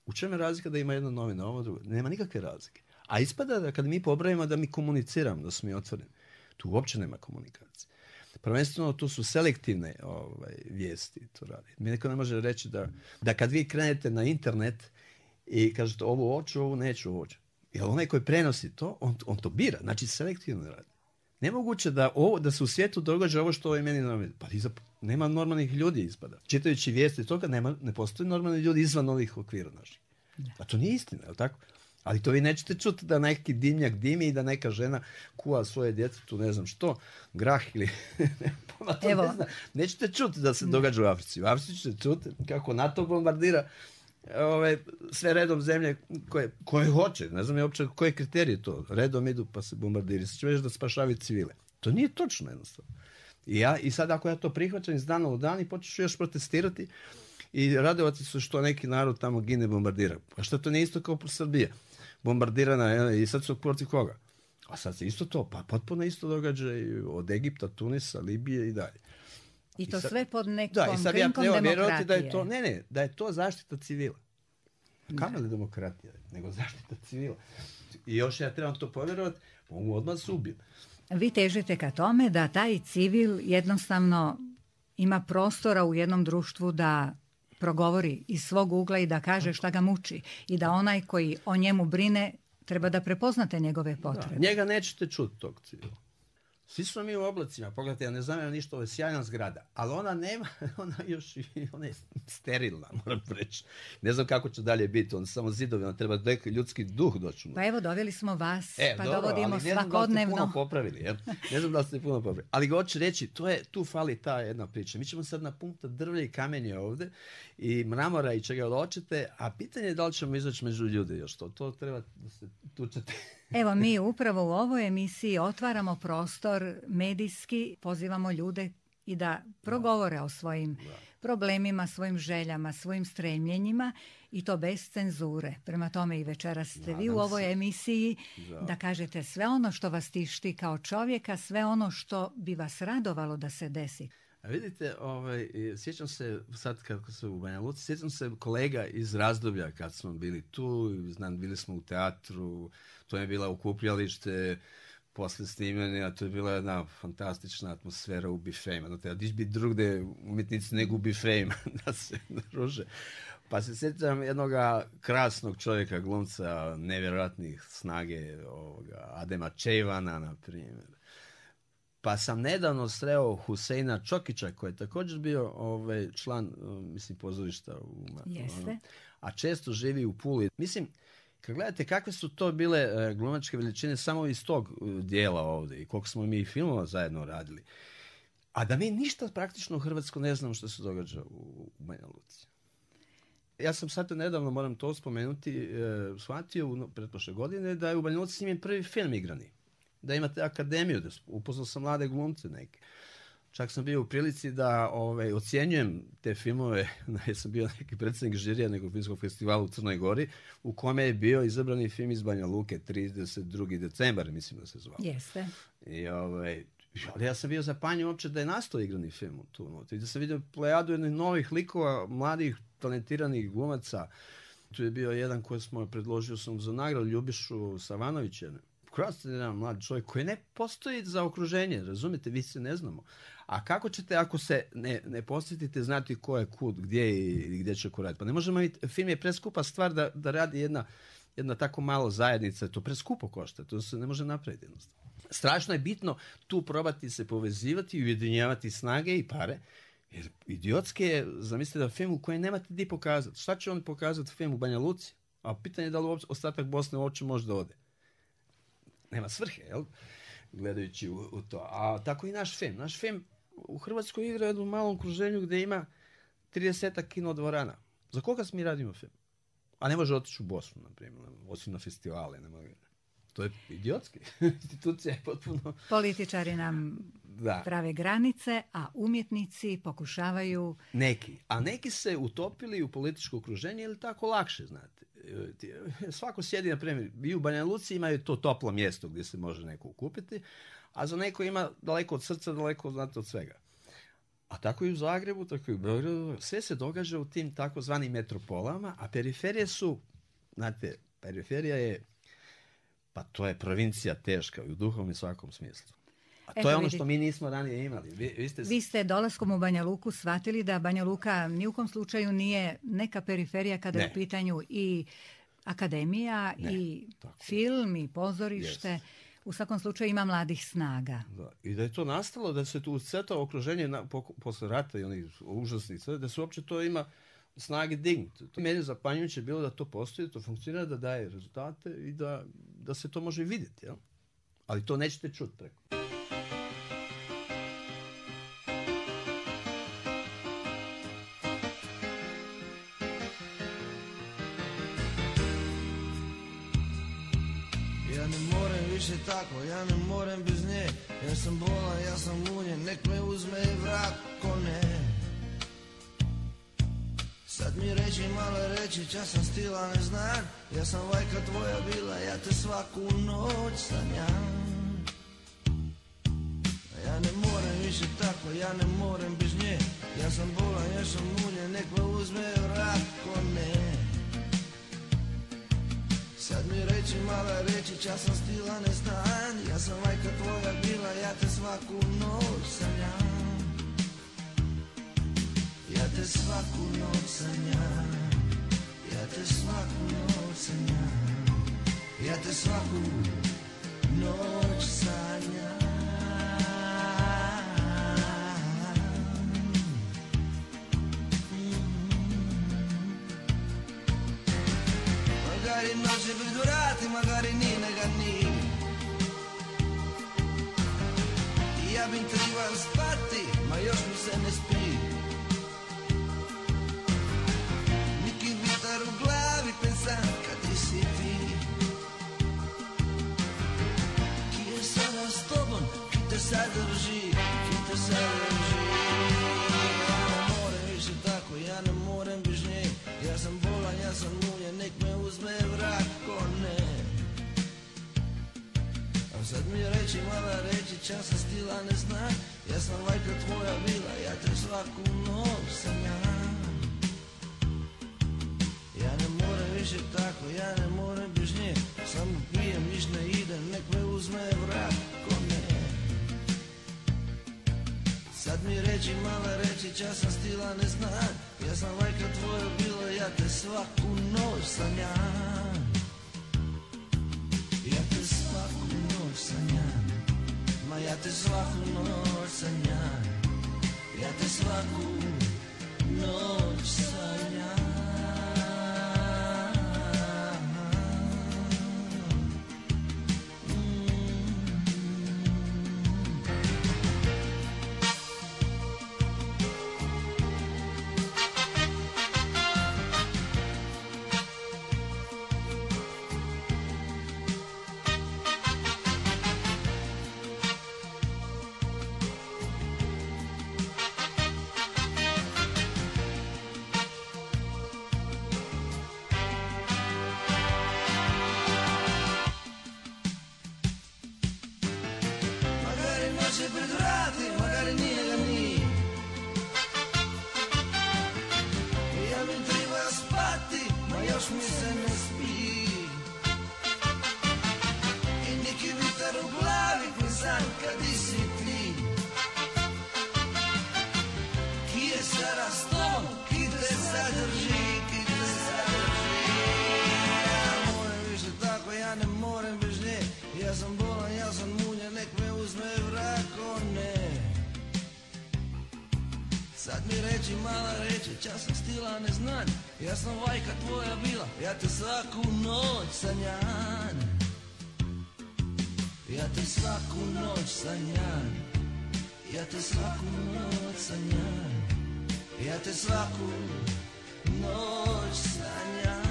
U čemu je razlika da ima jedna novina, ovo drugo? Nema nikakve razlike. A ispada da kad mi pobrajimo da mi komuniciramo, da smo mi otvoreni. Tu uopće nema komunikacije. Prvenstveno tu su selektivne ovaj, vijesti. To radi. Mi neko ne može reći da, da kad vi krenete na internet i kažete ovo hoću, ovo neću, ovo hoću. Jer onaj koji prenosi to, on, on to bira. Znači selektivno radi. Nemoguće da, ovo, da se u svijetu događa ovo što ovo je meni normalno. Pa iza, nema normalnih ljudi ispada. Čitajući vijesti toga, nema, ne postoji normalni ljudi izvan ovih okvira naših. A to nije istina, je li tako? Ali to vi nećete čuti da neki dimnjak dimi i da neka žena kuva svoje djetetu, ne znam što, grah ili... Evo. Ne zna. Nećete čuti da se događa u Africi. U Africi ćete čuti kako NATO bombardira ove, sve redom zemlje koje, koje hoće. Ne znam je uopće koje kriterije to. Redom idu pa se bombardiraju. Sve će već da spašavaju civile. To nije točno jednostavno. I, ja, i sad ako ja to prihvaćam iz dana u dan i počeš još protestirati i radovati se što neki narod tamo gine bombardira. A što to nije isto kao Srbija? Bombardirana i sad su protiv koga? A sad se isto to, pa potpuno isto događa i od Egipta, Tunisa, Libije i dalje. I to I sad, sve pod nekom da, i sad ja krinkom demokratije. Da je to, ne, ne, da je to zaštita civila. Kamo li demokratija, nego zaštita civila. I još ja trebam to povjerovati, mogu odmah se ubijem. Vi težite ka tome da taj civil jednostavno ima prostora u jednom društvu da progovori iz svog ugla i da kaže šta ga muči. I da onaj koji o njemu brine treba da prepoznate njegove potrebe. Da, njega nećete čuti tog civila. Svi smo mi u oblacima, pogledajte, ja ne znam ništa, ovo je sjajna zgrada, ali ona nema, ona još, ona je sterilna, moram reći. Ne znam kako će dalje biti, on samo zidovi, on treba neki ljudski duh doći. Pa evo, doveli smo vas, e, pa dobro, dovodimo svakodnevno. Ne znam da ste puno popravili, jel? Ne znam da ste puno popravili. Ali hoću reći, to je, tu fali ta jedna priča. Mi ćemo sad napuntati drvlje i kamenje ovdje, i mramora i čega hoćete, a pitanje je da li ćemo izaći među ljude još to. To treba da se tučete. Evo, mi upravo u ovoj emisiji otvaramo prostor medijski, pozivamo ljude i da progovore o svojim problemima, svojim željama, svojim stremljenjima i to bez cenzure. Prema tome i večeras ste vi u ovoj emisiji da. da kažete sve ono što vas tišti kao čovjeka, sve ono što bi vas radovalo da se desi. A vidite, ovaj, sjećam se sad kako se u Banja Luci, sjećam se kolega iz razdoblja kad smo bili tu, znam, bili smo u teatru, to je bila okupljalište, posle snimanja, to je bila jedna fantastična atmosfera u bifejima. Znate, a diš bi drugde umjetnici nego u bifejima da se druže. Pa se sjećam jednog krasnog čovjeka, glumca, nevjerojatnih snage, ovoga, Adema Čejvana, na primjer. Pa sam nedavno sreo Huseina Čokića, koji je također bio ovaj, član, mislim, pozorišta. U, Jeste. A često živi u Puli. Mislim, kad gledate kakve su to bile glumačke veličine samo iz tog dijela ovdje i koliko smo mi filmova zajedno radili. A da mi ništa praktično u Hrvatskoj ne znamo što se događa u, u Banja Luci. Ja sam sad nedavno, moram to spomenuti, e, shvatio u pretprošle godine da je u Banja Luci snimljen prvi film igrani. Da imate akademiju, da upoznao sam mlade glumce neke. Čak sam bio u prilici da ovaj, ocjenjujem te filmove, jer sam bio neki predsjednik žirija nekog filmskog festivala u Crnoj Gori, u kome je bio izabrani film iz Banja Luke, trideset drugi decembar, mislim da se zvao. Jeste. I ovaj, ali ja sam bio zapanjen uopće da je nastao igrani film tu. I da sam vidio plejadu jednih novih likova, mladih, talentiranih glumaca. Tu je bio jedan koji smo predložio sam za nagradu, Ljubišu Savanovića. Krasni jedan mlad čovjek koji ne postoji za okruženje, razumijete, vi se ne znamo. A kako ćete, ako se ne, ne posjetite, znati ko je kud, gdje i gdje će ko raditi? Pa ne možemo imati, film je preskupa stvar da, da radi jedna, jedna tako malo zajednica, to preskupo košta, to se ne može napraviti jednostavno. Strašno je bitno tu probati se povezivati, ujedinjavati snage i pare, jer idiotski je, zamislite da film u kojem nemate di pokazati. Šta će on pokazati film u Banja Luci? A pitanje je da li ostatak Bosne uopće može da ode. Nema svrhe, jel? Gledajući u, u to. A tako i naš film. Naš film u Hrvatskoj igra u malom okruženju gdje ima trideset kino dvorana. Za koga mi radimo film? A ne može otići u Bosnu, na primjer, osim na festivale. Ne može. To je idiotski. Institucija je potpuno... Političari nam da. prave granice, a umjetnici pokušavaju... Neki. A neki se utopili u političko okruženje ili tako lakše, znate. Svako sjedi, na primjer, i u Banja Luci imaju to toplo mjesto gdje se može neko ukupiti, a za neko ima daleko od srca, daleko, znate, od svega. A tako i u Zagrebu, tako i u Beogradu, sve se događa u tim takozvanim metropolama, a periferije su, znate, periferija je, pa to je provincija teška u duhovnom i svakom smislu. A to Eto, je ono što mi nismo ranije imali. Vi, vi, ste... vi ste dolaskom u Banja Luku shvatili da Banja Luka ni u kom slučaju nije neka periferija kada ne. je u pitanju i akademija ne, i tako. film i pozorište. Yes. U svakom slučaju ima mladih snaga. Da. I da je to nastalo, da se tu ceta okruženje na, po, posle rata i onih užasnih, da se uopće to ima snage dignuti. To meni zapanjujuće bilo da to postoji, da to funkcionira, da daje rezultate i da, da se to može vidjeti. Jel? Ali to nećete čuti preko. Tako, ja ne morem bez nje, ja sam bolan, ja sam munjen, nek me uzme vrag, ko ne. Sad mi reći, malo reći, čas sam stila ne znam, ja sam vajka tvoja bila, ja te svaku noć sanjam. Ja ne morem više tako, ja ne morem bez nje, ja sam bolan, ja sam munjen, nek me uzme vrag, ko ne. Sad mi reći, mala reći, čas sam stila ne znam, ja sam majka tvoja bila, ja te svaku noć sanjam. Ja te svaku noć sanjam, ja te svaku noć sanjam, ja te svaku noć sanjam. Magari noći pridurati, magari ni nega ni. Ja bih trebao spati, ma još mi se ne spi. Neki vitar u glavi pensam kad ti si ti. Ki je sada s tobom, ki te sad drži, ki te sad drži. Ja ne morem više tako, ja ne morem bez nje. Ja sam bolan, ja sam munjen, nek me uzme vrag, ko ne. A sad mi reći, mala reći, čas sam stila ne znam, ja sam vajka tvoja bila, ja te svaku noć sanjam. Ja ne morem više tako, ja ne morem bez nje, samo pijem, niš ne idem, nek me uzme vrag, mi reći, mala reći, čas sam stila ne znam. Ja sam lajka tvoja bila, ja te svaku noć sanjam. Ja te svaku noć sanjam. Ma ja te svaku noć sanjam. Ja te svaku noć sanjam. Čas sam stila ne znam, ja sam vajka tvoja bila, ja te svaku noć sanjam. Ja te svaku noć sanjam. Ja te svaku noć sanjam. Ja te svaku noć sanjam.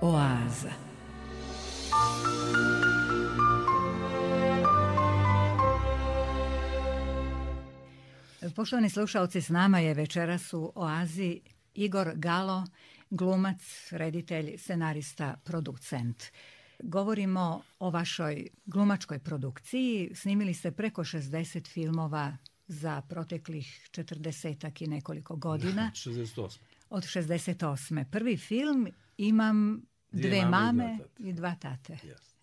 Oaza. Poštovani slušalci, s nama je večeras u Oazi Igor Galo, glumac, reditelj, scenarista, producent. Govorimo o vašoj glumačkoj produkciji. Snimili ste preko šezdeset filmova za proteklih četrdesetak i nekoliko godina. šezdeset osme. Od šezdeset osme. Prvi film Imam dve, dve mame, mame i dva tate. Yes.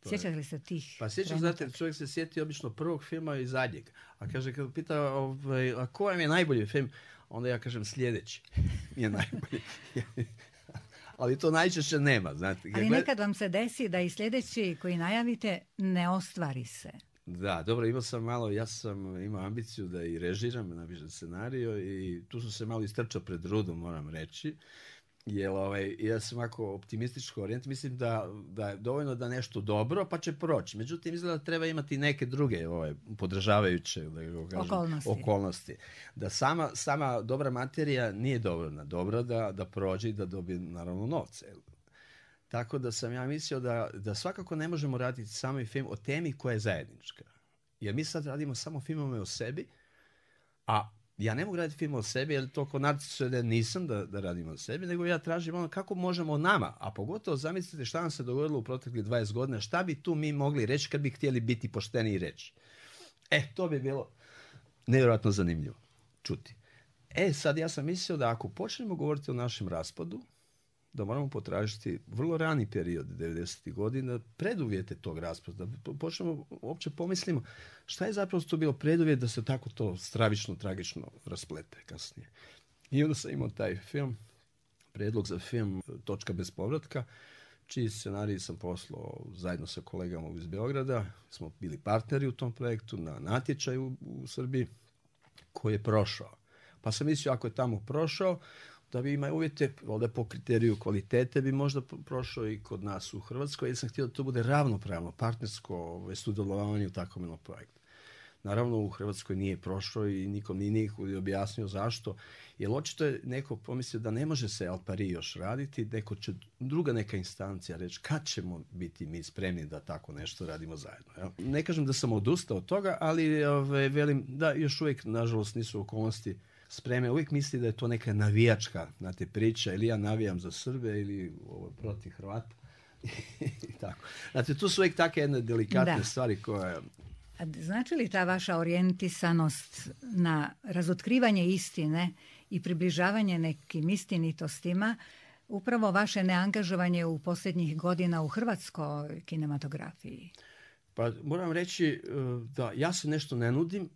Sjećate li se tih? Pa sjećam, znate, čovjek se sjeti obično prvog filma i zadnjeg. A kaže, kad pita, ovaj, a ko vam je najbolji film? Onda ja kažem sljedeći je najbolji. Ali to najčešće nema, znate. Ali nekad vam se desi da i sljedeći koji najavite ne ostvari se. Da, dobro, imao sam malo, ja sam imao ambiciju da i režiram, napišem scenario i tu sam se malo istrčao pred rudu, moram reći. Jer ovaj, ja sam ovako optimističko orijent, mislim da, da je dovoljno da nešto dobro, pa će proći. Međutim, izgleda da treba imati neke druge ovaj, podržavajuće da kažem, okolnosti. okolnosti. Da sama, sama dobra materija nije dovoljna. Dobro da, da prođe i da dobije naravno novce. Tako da sam ja mislio da, da svakako ne možemo raditi samo film o temi koja je zajednička. Jer mi sad radimo samo filmove o sebi, a ja ne mogu raditi film o sebi, jer toliko narcisista nisam da, da radim o sebi, nego ja tražim ono kako možemo o nama, a pogotovo zamislite šta nam se dogodilo u proteklih dvadeset godina, šta bi tu mi mogli reći kad bi htjeli biti pošteni i reći. E, to bi bilo nevjerojatno zanimljivo čuti. E, sad ja sam mislio da ako počnemo govoriti o našem raspadu, da moramo potražiti vrlo rani period devedesetih godina, preduvjete tog raspada, da počnemo, uopće pomislimo šta je zapravo to bilo preduvjet da se tako to stravično, tragično rasplete kasnije. I onda sam imao taj film, prijedlog za film Točka bez povratka, čiji scenarij sam poslao zajedno sa kolegama iz Beograda, smo bili partneri u tom projektu na natječaju u, u Srbiji, koji je prošao. Pa sam mislio, ako je tamo prošao, da bi imao uvjete, ovdje po kriteriju kvalitete bi možda prošao i kod nas u Hrvatskoj, jer sam htio da to bude ravnopravno, partnersko sudjelovanje u takvom jednom projektu. Naravno u Hrvatskoj nije prošao i nikom nije nikog objasnio zašto, jer očito je neko pomislio da ne može se al pari još raditi, neko će, druga neka instancija reći kad ćemo biti mi spremni da tako nešto radimo zajedno. Jel? Ne kažem da sam odustao od toga, ali ove, velim da još uvijek nažalost nisu okolnosti spreme. Uvijek misli da je to neka navijačka, znate, priča, ili ja navijam za Srbe ili ovo, protiv Hrvata. I tako. Znate, tu su uvijek takve jedne delikatne da. stvari koje... A znači li ta vaša orijentisanost na razotkrivanje istine i približavanje nekim istinitostima upravo vaše neangažovanje u posljednjih godina u hrvatskoj kinematografiji? Pa moram reći da ja se nešto ne nudim,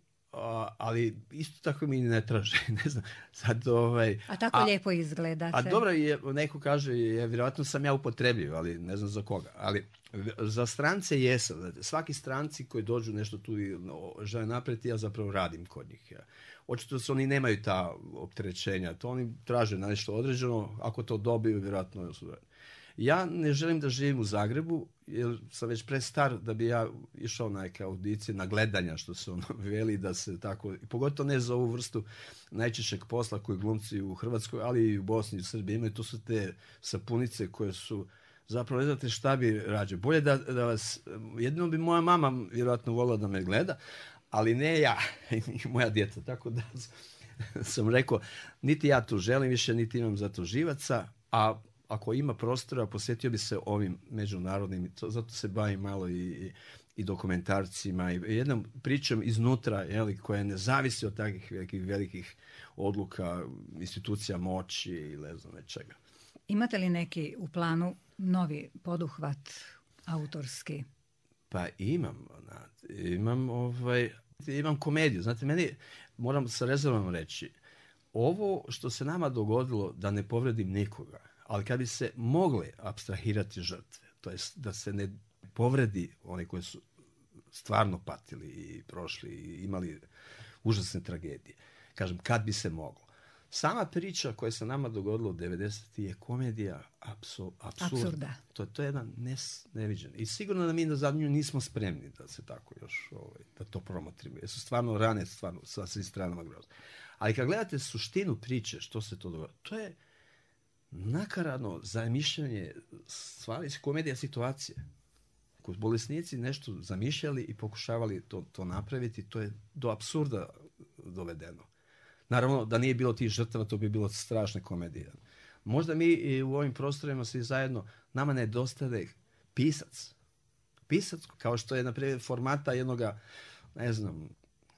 ali isto tako mi ne traže. Ne znam, sad, ovaj, a tako a, lijepo izgledate. A dobro, je, neko kaže, je, vjerojatno sam ja upotrebljiv, ali ne znam za koga. Ali za strance jesam. Svaki stranci koji dođu nešto tu i no, žele napraviti, ja zapravo radim kod njih. Ja. Očito se oni nemaju ta opterećenja. To oni traže na nešto određeno. Ako to dobiju, vjerojatno su. Ja ne želim da živim u Zagrebu, jer sam već prestar da bi ja išao na neke audicije, na gledanja, što se ono veli, da se tako, pogotovo ne za ovu vrstu najčešćeg posla koji glumci u Hrvatskoj, ali i u Bosni i Srbiji imaju. To su te sapunice koje su, zapravo ne znate šta bi rađe. Bolje da, da vas, jedino bi moja mama vjerojatno volila da me gleda, ali ne ja i moja djeca. Tako da sam rekao, niti ja tu želim više, niti imam za to živaca, a ako ima prostora, posjetio bi se ovim međunarodnim, zato se bavim malo i, i dokumentarcima i jednom pričom iznutra, jeli, koja ne zavisi od takvih velikih, velikih odluka, institucija moći ili ne znam čega. Imate li neki u planu novi poduhvat autorski? Pa imam, imam, ovaj, imam komediju. Znate, meni, moram sa rezervom reći, ovo što se nama dogodilo, da ne povredim nikoga, ali kad bi se mogle apstrahirati žrtve, to jest da se ne povredi oni koji su stvarno patili i prošli i imali užasne tragedije. Kažem, kad bi se moglo. Sama priča koja se nama dogodila u devedesetih je komedija apsu, apsurda. To, to je jedan nes, neviđen. I sigurno da mi na zadnju nismo spremni da se tako još, ovaj, da to promotrimo. Jer su stvarno rane, stvarno sa svim stranama grozne. Ali kad gledate suštinu priče, što se to dogodilo, to je nakaradno zamišljanje stvari, komedija situacije. Kod bolesnici nešto zamišljali i pokušavali to, to napraviti, to je do apsurda dovedeno. Naravno, da nije bilo tih žrtava, to bi bilo strašne komedije. Možda mi i u ovim prostorima svi zajedno, nama nedostaje pisac. Pisac, kao što je, na primjer, formata jednoga, ne znam,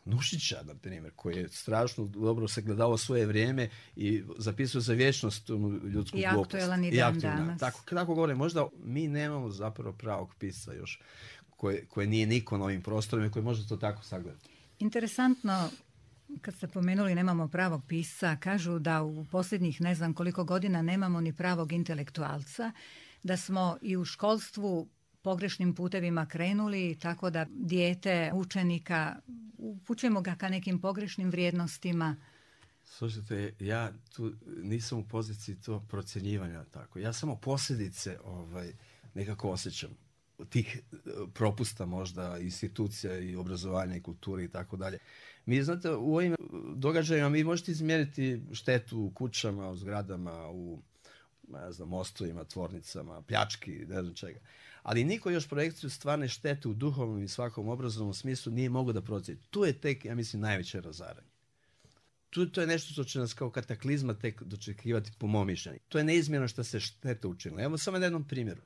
Nušića, na primjer, koji je strašno dobro sagledao svoje vrijeme i zapisao za vječnost ljudsku I glupost. Aktualan i dan danas. Tako, tako govorim, možda mi nemamo zapravo pravog pisca još, koje, koje nije niko na ovim prostorima i koji može to tako sagledati. Interesantno, kad ste pomenuli nemamo pravog pisca, kažu da u posljednjih ne znam koliko godina nemamo ni pravog intelektualca, da smo i u školstvu pogrešnim putevima krenuli, tako da dijete, učenika, upućujemo ga ka nekim pogrešnim vrijednostima. Slušajte, ja tu nisam u poziciji to procjenjivanja tako. Ja samo posljedice ovaj, nekako osjećam. Tih propusta možda institucija i obrazovanja i kulture i tako dalje. Mi, znate, u ovim događajima mi možete izmjeriti štetu u kućama, u zgradama, u ne znam, mostovima, tvornicama, pljački, ne znam čega. Ali niko još projekciju stvarne štete u duhovnom i svakom obrazovnom smislu nije mogao da procijeni. Tu je tek, ja mislim, najveće razaranje. Tu, to je nešto što će nas kao kataklizma tek dočekivati po mom mišljenju. To je neizmjerno što se šteta učinila. Evo samo na jednom primjeru.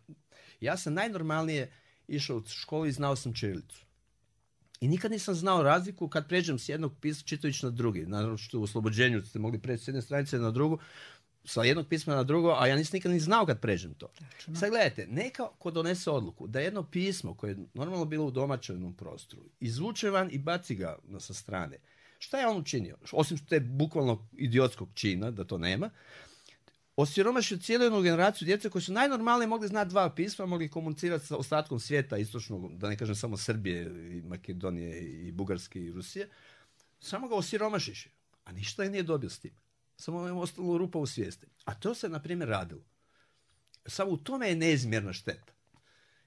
Ja sam najnormalnije išao u školu i znao sam ćirilicu. I nikad nisam znao razliku kad pređem s jednog pisma čitajući na drugi. Naravno što u oslobođenju ste mogli preći s jedne stranice na drugu, sa jednog pisma na drugo, a ja nisam nikad ni znao kad pređem to. Tačno. Sad gledajte, neka ko donese odluku da jedno pismo koje je normalno bilo u domaćem prostoru izvuče van i baci ga sa strane. Šta je on učinio? Osim što je bukvalno idiotskog čina, da to nema, osiromašio cijelu jednu generaciju djece koji su najnormalnije mogli znati dva pisma, mogli komunicirati sa ostatkom svijeta, istočnog, da ne kažem samo Srbije, i Makedonije, i Bugarske, i Rusije. Samo ga osiromašiš, a ništa je nije dobio s tim. Samo je ostalo rupa u svijesti. A to se, na primjer, radilo. Samo u tome je neizmjerna šteta.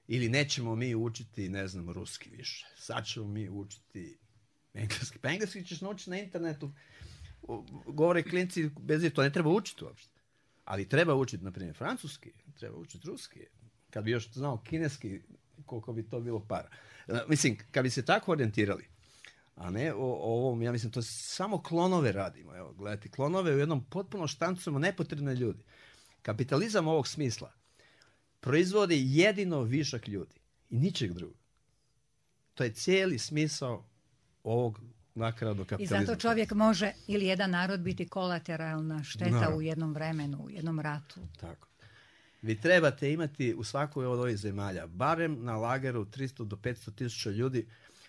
Ili nećemo mi učiti, ne znam, ruski više. Sad ćemo mi učiti engleski. Pa engleski ćeš naučiti na internetu. Govore klinci, bez to ne treba učiti uopšte. Ali treba učiti, na primjer, francuski, treba učiti ruski. Kad bi još znao kineski, koliko bi to bilo para. Mislim, kad bi se tako orijentirali, a ne o, o ovom, ja mislim, to samo klonove radimo. Evo, gledajte, klonove u jednom potpuno štancujemo nepotrebne ljudi. Kapitalizam ovog smisla proizvodi jedino višak ljudi i ničeg drugog. To je cijeli smisao ovog nakaradnog kapitalizma. I zato čovjek može ili jedan narod biti kolateralna šteta no. u jednom vremenu, u jednom ratu. Tako. Vi trebate imati u svakoj od ovih zemalja, barem na lageru tristo do petsto tisuća ljudi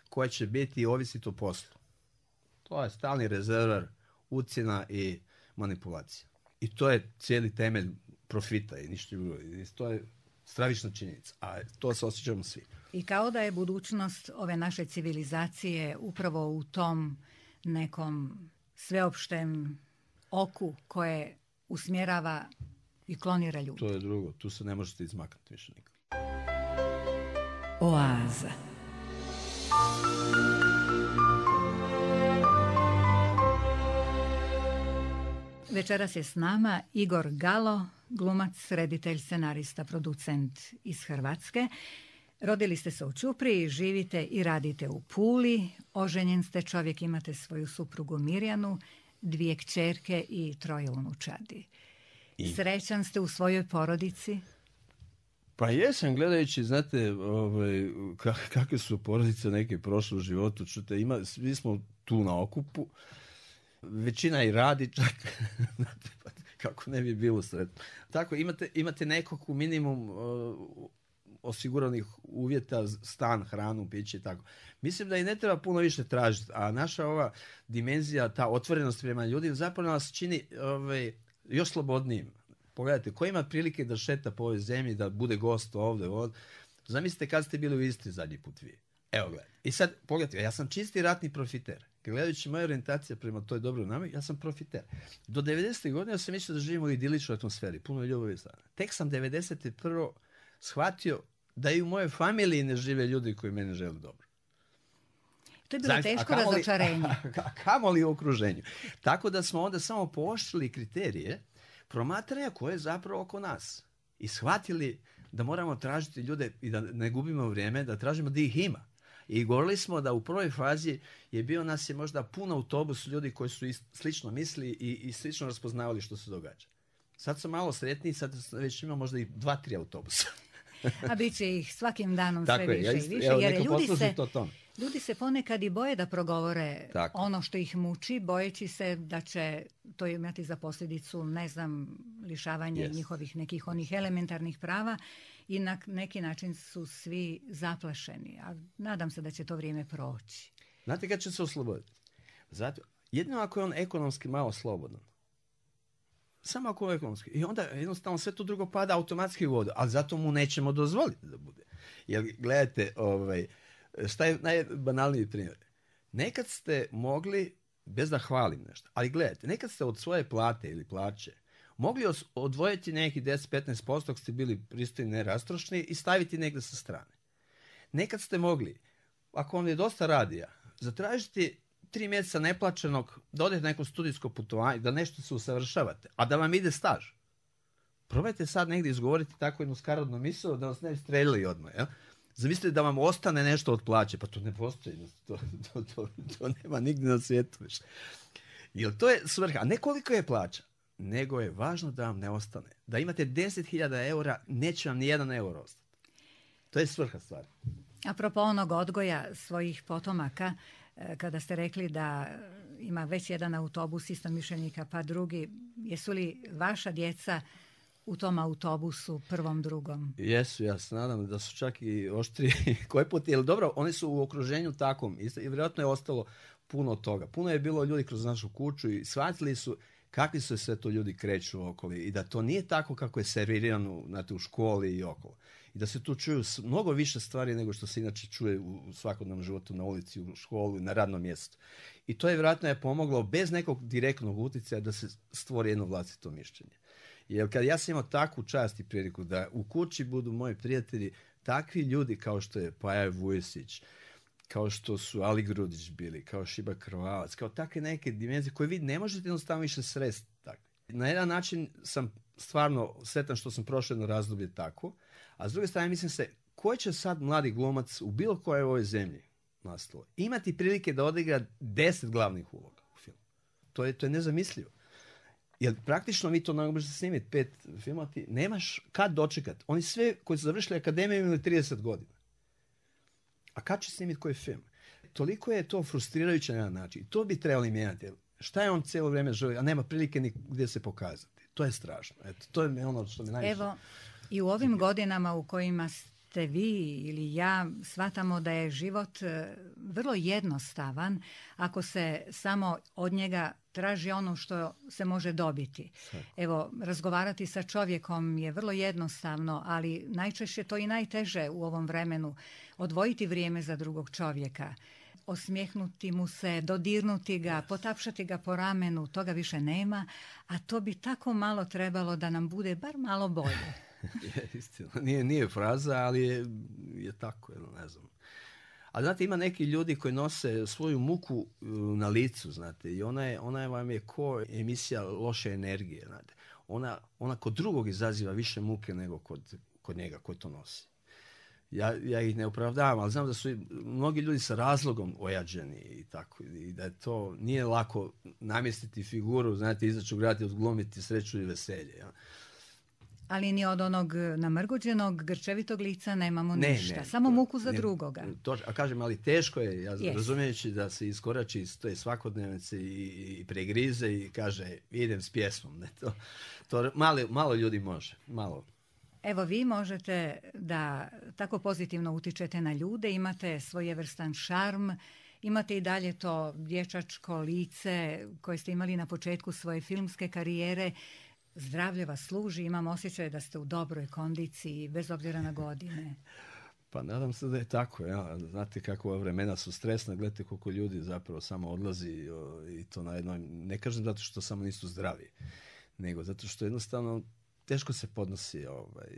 koji će biti ovisiti o poslu. To je stalni rezervar ucjena i manipulacija. I to je cijeli temelj profita i ništa drugo. I to je stravična činjenica, a to se osjećamo svi. I kao da je budućnost ove naše civilizacije upravo u tom nekom sveopštem oku koje usmjerava i klonira ljude. To je drugo, tu se ne možete izmaknuti više nikad. Oaza. Večeras je s nama Igor Galo, glumac, reditelj, scenarista, producent iz Hrvatske. Rodili ste se u Ćupriji, živite i radite u Puli, oženjen ste čovjek, imate svoju suprugu Mirjanu, dvije kćerke i troje unučadi. I... Srećan ste u svojoj porodici? Pa jesam, gledajući, znate, ovaj, kakve su porodice neke prošle u životu. Čute, ima, svi smo tu na okupu, većina i radi čak, znate, pa kako ne bi bilo sretno. Tako, imate, imate nekog u minimum uh, osiguranih uvjeta, stan, hranu, piće i tako. Mislim da i ne treba puno više tražiti, a naša ova dimenzija, ta otvorenost prema ljudima zapravo nas čini ovaj, još slobodnijim. Pogledajte, ko ima prilike da šeta po ovoj zemlji, da bude gost ovdje, ovdje. Zamislite kad ste bili u Istri zadnji put vi. Evo gledajte. I sad, pogledajte, ja sam čisti ratni profiter. Gledajući moja orijentacija prema toj dobroj nami, ja sam profiter. Do devedesetih godina sam mislio da živimo u idiličnoj atmosferi, puno ljubavi i strane. Tek sam devedeset prvo shvatio da i u mojoj familiji ne žive ljudi koji mene žele dobro. To je bilo Zavis, teško razočarenje. A kamoli u okruženju. Tako da smo onda samo pooštrili kriterije promatranja koje je zapravo oko nas. I shvatili da moramo tražiti ljude i da ne gubimo vrijeme, da tražimo da ih ima. I govorili smo da u prvoj fazi je bio nas je možda puno autobus ljudi koji su slično mislili i, i slično raspoznavali što se događa. Sad sam malo sretniji, sad već ima možda i dva, tri autobusa. A bit će ih svakim danom sve Tako više je, ja i isto, više, evo, jer ljudi se, to ljudi se ponekad i boje da progovore Tako. ono što ih muči, bojeći se da će to imati za posljedicu, ne znam, lišavanje yes. njihovih nekih onih elementarnih prava i na neki način su svi zaplašeni. A nadam se da će to vrijeme proći. Znate kad će se osloboditi? Zato, jedino ako je on ekonomski malo slobodan. Samo ako je ekonomski. I onda jednostavno sve to drugo pada automatski u vodu. Ali zato mu nećemo dozvoliti da bude. Jer gledajte, ovaj, šta je najbanalniji primjer? Nekad ste mogli, bez da hvalim nešto, ali gledajte, nekad ste od svoje plate ili plaće mogli odvojiti neki deset do petnaest posto ako ste bili pristojni, nerastrošni i staviti negdje sa strane. Nekad ste mogli, ako vam je dosta radija, zatražiti tri mjeseca neplaćenog, da odete neko studijsko putovanje, da nešto se usavršavate, a da vam ide staž. Probajte sad negdje izgovoriti tako jednu skaradnu misao da vas ne streljili odmah. Ja? Zamislite da vam ostane nešto od plaće, pa to ne postoji. To, to, to, to nema nigdje na svijetu. Jer to je svrha. A ne koliko je plaća, nego je važno da vam ne ostane. Da imate deset hiljada eura, neće vam ni jedan euro ostati. To je svrha stvari. Apropo onog odgoja svojih potomaka, kada ste rekli da ima već jedan autobus istomišljenika pa drugi, jesu li vaša djeca u tom autobusu prvom, drugom? Jesu, ja se nadam da su čak i oštri koji put, jer dobro, oni su u okruženju takvom i vjerojatno je ostalo puno toga. Puno je bilo ljudi kroz našu kuću i shvatili su kakvi su sve to ljudi kreću okolo i da to nije tako kako je servirano, znate, u školi i okolo. I da se tu čuju mnogo više stvari nego što se inače čuje u svakodnevnom životu na ulici, u školi, na radnom mjestu. I to je vjerojatno je pomoglo bez nekog direktnog utjecaja da se stvori jedno vlastito mišljenje. Jer kad ja sam imao takvu čast i priliku da u kući budu moji prijatelji, takvi ljudi kao što je Paja Vujesić, kao što su Ali Grudić bili, kao Šiba Krvavac, kao takve neke dimenzije koje vi ne možete jednostavno više sresti. Na jedan način sam stvarno sretan što sam prošao jedno razdoblje tako, a s druge strane mislim se, koji će sad mladi glumac u bilo kojoj ovoj zemlji nastalo imati prilike da odigra deset glavnih uloga u filmu? To je, to je nezamislivo. Jer praktično mi to ne možete snimiti pet filmova, ti nemaš kad dočekati. Oni sve koji su završili akademiju imali trideset godina. A kad će snimiti koji film? Toliko je to frustrirajuće na jedan način. I to bi trebali mijenjati. Šta je on cijelo vrijeme želi, a nema prilike ni gdje se pokazati. To je strašno. Eto, to je ono što mi najviše... Evo, I u ovim godinama u kojima ste vi ili ja shvatamo da je život e, vrlo jednostavan ako se samo od njega traži ono što se može dobiti. Evo, razgovarati sa čovjekom je vrlo jednostavno, ali najčešće to i najteže u ovom vremenu. Odvojiti vrijeme za drugog čovjeka, osmijehnuti mu se, dodirnuti ga, potapšati ga po ramenu, toga više nema, a to bi tako malo trebalo da nam bude bar malo bolje. Je, istina. Nije, nije fraza, ali je, je tako, ne znam. A znate, ima neki ljudi koji nose svoju muku na licu, znate, i ona je, ona je vam je ko emisija loše energije, znate. Ona, ona kod drugog izaziva više muke nego kod, kod njega koji to nosi. Ja, ja ih ne opravdavam, ali znam da su mnogi ljudi sa razlogom ojađeni i tako, i da je to nije lako namjestiti figuru, znate, izaći u grad i odglumiti sreću i veselje, ja. Ali ni od onog namrgođenog, grčevitog lica nemamo ne, ništa. ne, Samo to, muku za ne, drugoga. To, a kažem, ali teško je, ja yes. razumijeći da se iskorači iz te svakodnevnice i, i pregrize i kaže idem s pjesmom. Ne, to to malo, malo ljudi može. Malo. Evo, vi možete da tako pozitivno utičete na ljude, imate svojevrstan šarm, imate i dalje to dječačko lice koje ste imali na početku svoje filmske karijere. Zdravlje vas služi, imam osjećaj da ste u dobroj kondiciji, bez obzira na godine. Pa nadam se da je tako. Ja. Znate kako vremena su stresna, gledajte koliko ljudi zapravo samo odlazi o, i to na jednoj, ne kažem zato što samo nisu zdravi, nego zato što jednostavno teško se podnosi ovaj,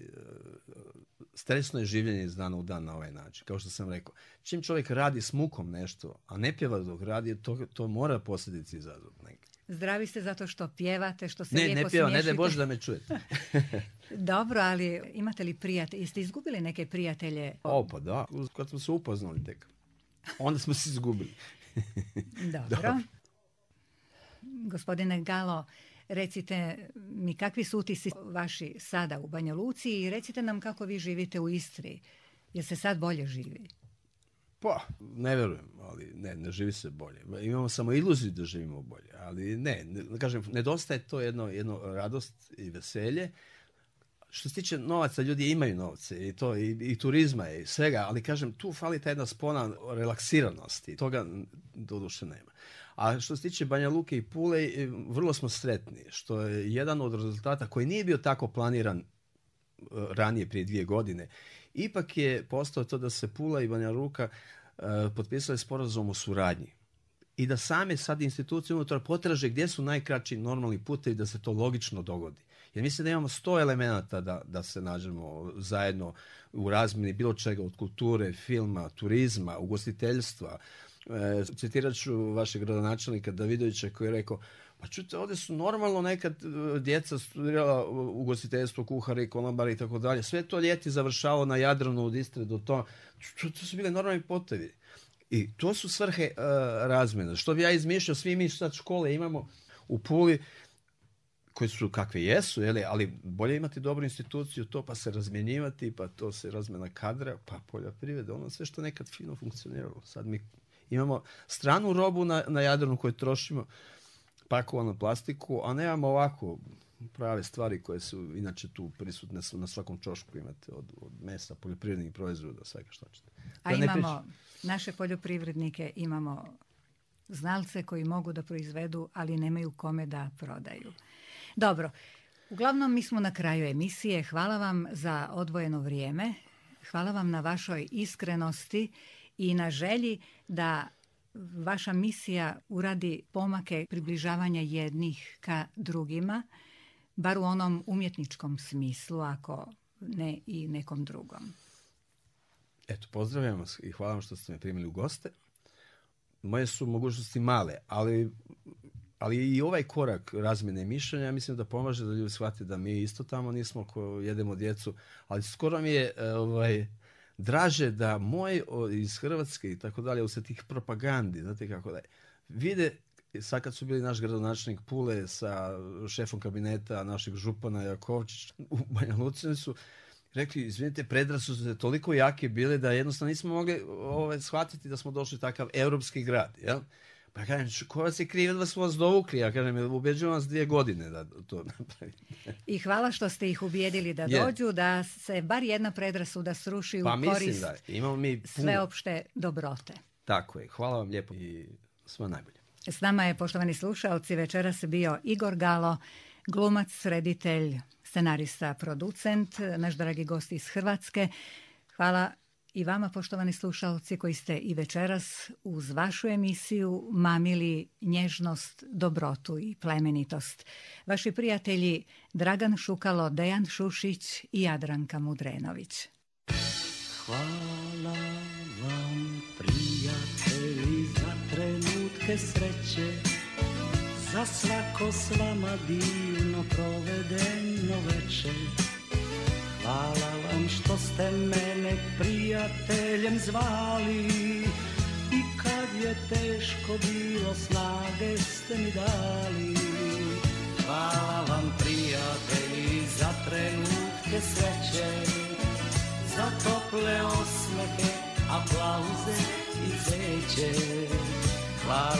stresno je življenje iz dana u dan na ovaj način. Kao što sam rekao, čim čovjek radi s mukom nešto, a ne pjeva dok radi, to, to mora posljedice izazvati neke. Zdravi ste zato što pjevate, što se ne, lijepo ne pjeva, smiješite. ne daj Bože da me čujete. Dobro, ali imate li prijatelje? Jeste izgubili neke prijatelje? O, pa da. Kad smo se upoznali tek. Onda smo se izgubili. Dobro. Dobro. Gospodine Galo, recite mi kakvi su utisci vaši sada u Banja Luci i recite nam kako vi živite u Istri. Jer se sad bolje živi? Pa, ne vjerujem, ali ne, ne živi se bolje. Imamo samo iluziju da živimo bolje, ali ne, ne kažem, nedostaje to jedno, jedno radost i veselje. Što se tiče novaca, ljudi imaju novce i to i, i turizma i svega, ali kažem, tu fali ta jedna spona relaksiranosti, toga doduše nema. A što se tiče Banja Luke i Pule, vrlo smo sretni, što je jedan od rezultata koji nije bio tako planiran ranije, prije dvije godine. Ipak je postao to da se Pula i Banja Luka uh, potpisali sporazum o suradnji. I da same sad institucije unutar potraže gdje su najkraći normalni putevi da se to logično dogodi. Jer mislim da imamo sto elemenata da, da se nađemo zajedno u razmjeni bilo čega od kulture, filma, turizma, ugostiteljstva. E, citirat ću vašeg gradonačelnika Davidovića koji je rekao, pa čujte, ovdje su normalno nekad djeca studirala ugostiteljstvo, kuhari, konobari i tako dalje. Sve to ljeti završavalo na Jadranu od Istre do to. To, to su bile normalni putevi. I to su svrhe uh, razmjena. Što bi ja izmišljao, svi mi sad škole imamo u Puli, koji su kakve jesu, jeli, ali bolje imati dobru instituciju, to pa se razmjenjivati, pa to se razmjena kadra, pa poljoprivreda, ono sve što nekad fino funkcioniralo. Sad mi imamo stranu robu na, na Jadranu koju trošimo, pakovanu plastiku, a nemamo ovako prave stvari koje su inače tu prisutne su na svakom čošku, imate od, od mesa, poljoprivrednih proizvoda, svega što ćete. A imamo naše poljoprivrednike, imamo znalce koji mogu da proizvedu, ali nemaju kome da prodaju. Dobro, uglavnom mi smo na kraju emisije. Hvala vam za odvojeno vrijeme, hvala vam na vašoj iskrenosti i na želji da vaša misija uradi pomake približavanja jednih ka drugima, bar u onom umjetničkom smislu, ako ne i nekom drugom. Eto, pozdravljam vas i hvala vam što ste me primili u goste. Moje su mogućnosti male, ali, ali i ovaj korak razmjene mišljenja mislim da pomaže da ljudi shvate da mi isto tamo nismo ko jedemo djecu, ali skoro mi je ovaj, draže da moj iz Hrvatske i tako dalje, usred tih propagandi, znate kako da je, vide, sad kad su bili naš gradonačelnik Pule sa šefom kabineta našeg župana Jakovčić u Banja Luci su rekli, izvinite, predrasude toliko jake bile da jednostavno nismo mogli ovaj, shvatiti da smo došli takav europski grad. Jel? Pa kažem, ko vas je kriv da su vas dovukli? Ja kažem, ubeđujem vas dvije godine da to napravi. I hvala što ste ih ubijedili da Je. dođu, da se bar jedna predrasuda sruši Pa u mislim korist da imamo mi puno. sveopšte dobrote. Tako je. Hvala vam lijepo i sve najbolje. S nama je, poštovani slušalci, večeras bio Igor Galo, glumac, reditelj, scenarista, producent, naš dragi gost iz Hrvatske. Hvala i vama, poštovani slušalci, koji ste i večeras uz vašu emisiju mamili nježnost, dobrotu i plemenitost. Vaši prijatelji Dragan Šukalo, Dejan Šušić i Jadranka Mudrenović. Hvala vam, prijatelji, za trenutke sreće, za svako s vama divno provedeno večer. Hvala vam što ste mene prijateljem zvali i kad je teško bilo snage ste mi dali. Hvala vam, prijatelji, za trenutke sreće, za tople osmehe, aplauze i zeće. Hvala